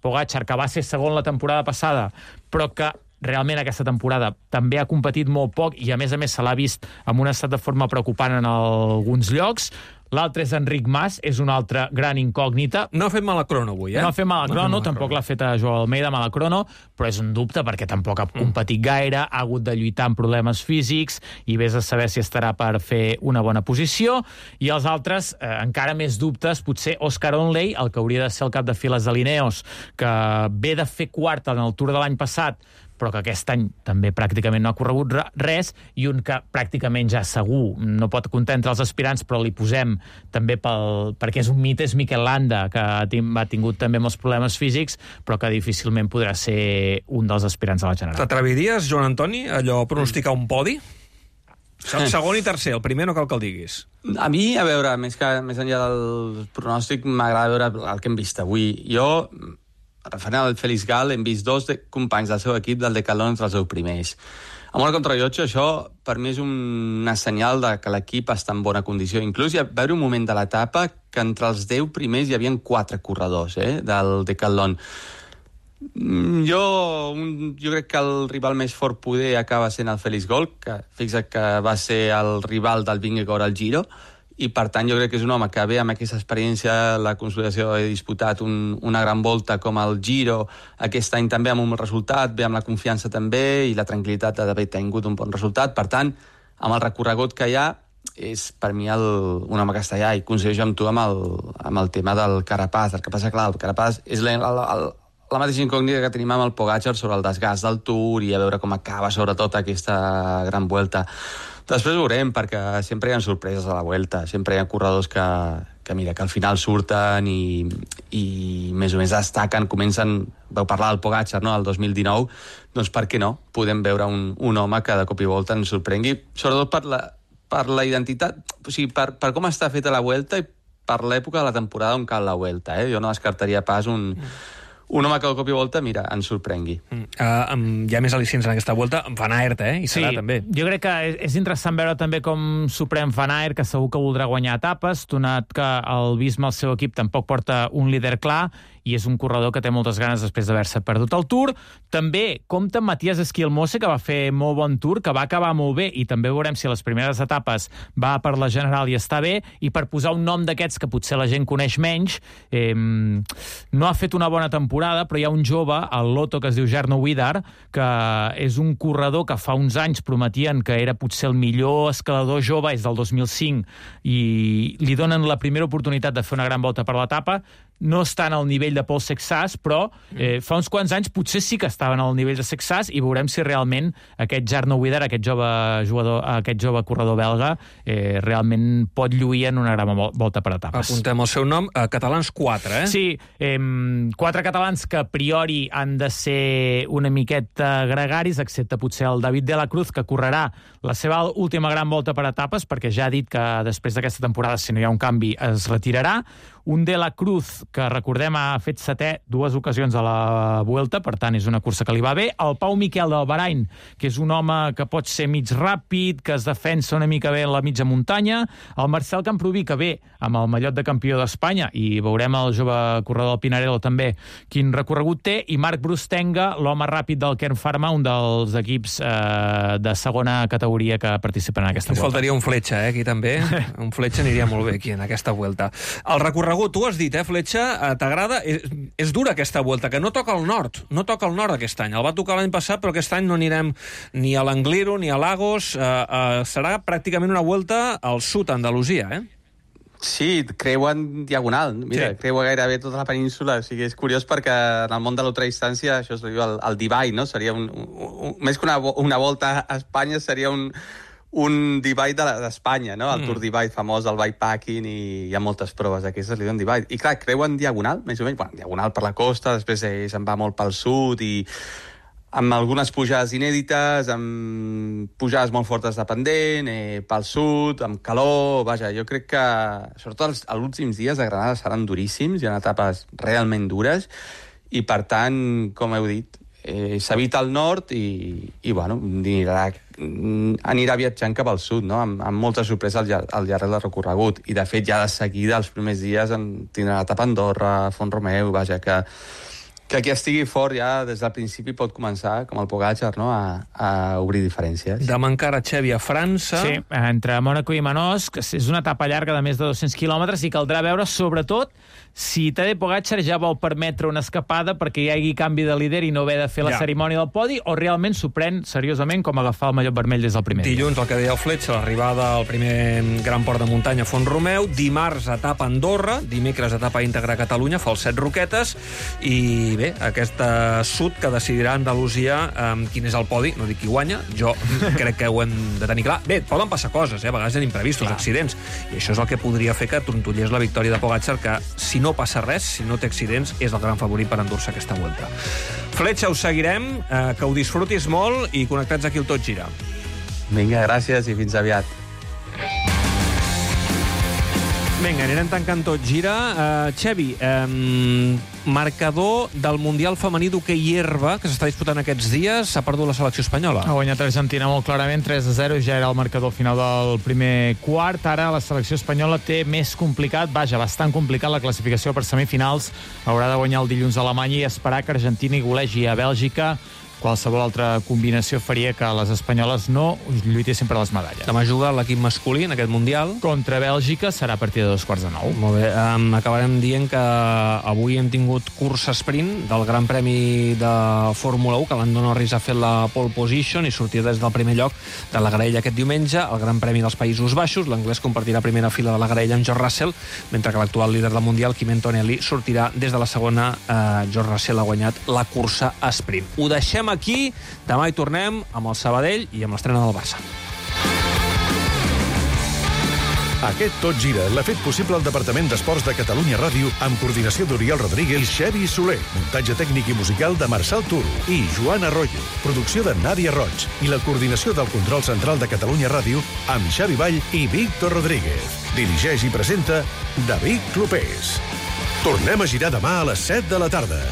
Pogačar, que va ser segon la temporada passada, però que realment aquesta temporada també ha competit molt poc i a més se l'ha vist amb un estat de forma preocupant en alguns llocs. L'altre és Enric Mas, és una altra gran incògnita. No ha fet mala crono avui, No ha fet mala crono, tampoc l'ha fet a Joao Almeida mala crono, però és un dubte perquè tampoc ha competit gaire, ha hagut de lluitar amb problemes físics i vés a saber si estarà per fer una bona posició. I els altres, encara més dubtes, potser Oscar Onley, el que hauria de ser el cap de files de l'Ineos, que ve de fer quart en el Tour de l'any passat, però que aquest any també pràcticament no ha corregut res, i un que pràcticament ja segur no pot comptar entre els aspirants, però li posem també perquè és un mite, és Mikel Landa, que ha tingut també molts problemes físics, però que difícilment podrà ser un dels aspirants a la general. T'atreviries, Joan Antoni, allò pronosticar un podi? Segon i tercer, el primer no cal que el diguis. A mi, a veure, més enllà del pronòstic, m'agrada veure el que hem vist avui. Jo, referent al Félix Gal, hem vist 2 companys del seu equip del Decathlon entre els 10 primers. Amb una contrarellotge, això per mi és una senyal de que l'equip està en bona condició. Inclús hi va haver un moment de l'etapa que entre els 10 primers hi havia 4 corredors del Decathlon. Jo crec que el rival més fort poder acaba sent el Félix Gal, que fixa't que va ser el rival del Vingegaard al Giro, i per tant jo crec que és un home que ve amb aquesta experiència, la consolidació, ha disputat una gran volta com el Giro, aquest any també amb un bon resultat, ve amb la confiança també i la tranquil·litat d'haver tingut un bon resultat. Per tant, amb el recorregut que hi ha, és per mi un home que està allà, i coincideixo amb tu amb el tema del Carapaz. El que passa, clar, el Carapaz és la mateixa incògnita que tenim amb el Pogačar sobre el desgast del Tour i a veure com acaba sobretot aquesta gran Vuelta. Després veurem, perquè sempre hi ha sorpreses a la Vuelta, sempre hi ha corredors que al final surten i més o menys destaquen, vau parlar del Pogačar, no?, el 2019, doncs per què no? Podem veure un home que de cop i volta ens sorprengui, sobretot per la identitat, o sigui, per com està feta la Vuelta i per l'època de la temporada on cal la Vuelta. Jo no descartaria pas un home que de cop i volta, mira, ens sorprengui. Hi ha més al·licients en aquesta volta. Van Aert, i serà també. Jo crec que és interessant veure també com s'ho pren Van Aert, que segur que voldrà guanyar etapes, donat que el Visma, el seu equip, tampoc porta un líder clar, i és un corredor que té moltes ganes després d'haver-se perdut el Tour. També compta amb Matías Esquilmose, que va fer molt bon Tour, que va acabar molt bé, i també veurem si a les primeres etapes va per la general i està bé, i per posar un nom d'aquests que potser la gent coneix menys, no ha fet una bona temporada, però hi ha un jove, el Lotto, que es diu Jarno Widar, que és un corredor que fa uns anys prometien que era potser el millor escalador jove, és del 2005, i li donen la primera oportunitat de fer una gran volta per l'etapa. No estan al nivell de Paul Sexas, però fa uns quants anys potser sí que estaven al nivell de Sexas, i veurem si realment aquest Jarno Widar, aquest jove corredor belga, realment pot lluir en una gran volta per etapes. Apuntem el seu nom, catalans 4, Sí, 4 catalans que a priori han de ser una miqueta gregaris, excepte potser el David de la Cruz, que correrà la seva última gran volta per etapes, perquè ja ha dit que després d'aquesta temporada, si no hi ha un canvi, es retirarà. Un de la Cruz, que recordem ha fet 7è 2 ocasions a la Vuelta, per tant és una cursa que li va bé. El Pau Miquel del Bahrain, que és un home que pot ser mig ràpid, que es defensa una mica bé en la mitja muntanya. El Marcel Camproví, que ve amb el mallot de campió d'Espanya, i veurem el jove corredor del Pinarello també quin recorregut té. I Marc Brustenga, l'home ràpid del Kern Pharma, un dels equips de segona categoria que participen en aquesta Vuelta. Ens faltaria un Fletxa, aquí també. Un Fletxa aniria molt bé aquí en aquesta Vuelta. El recorregut, tu has dit, Fletxa, t'agrada? És dura aquesta Vuelta, que no toca el nord. No toca el nord aquest any. El va tocar l'any passat, però aquest any no anirem ni a l'Angliru ni a Lagos. Serà pràcticament una Vuelta al sud, a Andalusia, Sí, creua en diagonal. Mira, creua gairebé tota la península. O sigui, és curiós perquè en el món de l'ultradistància això es diu el divide, no? Seria més que una volta a Espanya, seria un divide d'Espanya, no? El Tour Divide famós, el bikepacking, i hi ha moltes proves d'aquestes, li diuen divide. I clar, creu en diagonal, més o menys, diagonal per la costa, després se'n va molt pel sud, i amb algunes pujades inèdites, amb pujades molt fortes de pendent, pel sud, amb calor. Vaja, jo crec que, sobretot els últims dies de Granada seran duríssims, hi ha etapes realment dures, i per tant, com heu dit, s'evita el nord i bueno, anirà viatjant cap al sud, no? Amb molta sorpresa al llarg del recorregut. I, de fet, ja de seguida, els primers dies, tindrà l'etapa a Andorra, Font-romeu, vaja, que qui estigui fort ja des del principi pot començar, com el Pogačar, no? a obrir diferències. Demà encara Xevi a França. Sí, entre Mònaco i Manós, que és una etapa llarga de més de 200 quilòmetres, i caldrà veure, sobretot, si Tadej Pogačar ja vol permetre una escapada perquè hi hagi canvi de líder i no haver de fer la cerimònia del podi, o realment s'ho pren seriosament com agafar el mallot vermell des del primer dia. Dilluns, el que deia el Fletxa, l'arribada al primer gran port de muntanya Font-romeu, dimarts etapa a Andorra, dimecres etapa íntegra a Catalunya, fa els 7 roquetes, i bé, aquesta sud que decidirà Andalusia quin és el podi, no dic qui guanya, jo crec que ho hem de tenir clar. Bé, poden passar coses, a vegades hi ha imprevistos, accidents, i això és el que podria fer que trontollés la victòria de Pogačar, que si no passa res, si no té accidents, és el gran favorit per endur-se aquesta Vuelta. Fletxa, us seguirem, que ho disfrutis molt i connectats aquí al Tot Gira. Vinga, gràcies i fins aviat. Vinga, anirem tancant Tot Gira. Xevi, marcador del Mundial femení d'hoquei herba que s'està disputant aquests dies, s'ha perdut la selecció espanyola. Ha guanyat Argentina molt clarament, 3-0, ja era el marcador final del primer quart. Ara la selecció espanyola té més complicat, bastant complicat la classificació per semifinals. Haurà de guanyar el dilluns a Alemanya i esperar que Argentina hi golegi a Bèlgica. Qualsevol altra combinació faria que les espanyoles no lluitessin per les medalles. Demà juga l'equip masculí en aquest Mundial. Contra Bèlgica serà a partir de 2:45. Molt bé. Acabarem dient que avui hem tingut cursa sprint del Gran Premi de Fórmula 1, que Lando Norris ha fet la pole position i sortirà des del primer lloc de la graella aquest diumenge. El Gran Premi dels Països Baixos, l'anglès compartirà primera fila de la graella amb George Russell, mentre que l'actual líder del Mundial, Kim Antonelli, sortirà des de la segona. George Russell ha guanyat la cursa sprint. Ho deixem aquí, demà hi tornem amb el Sabadell i amb l'estrena del Barça. Aquest Tot Gira l'ha fet possible el Departament d'Esports de Catalunya Ràdio amb coordinació d'Oriol Rodríguez i Xevi Soler, muntatge tècnic i musical de Marçal Turo i Joan Arroyo, producció de Nàdia Roig i la coordinació del control central de Catalunya Ràdio amb Xavi Vall i Víctor Rodríguez. Dirigeix i presenta David Clopés. Tornem a girar demà a les 7 de la tarda.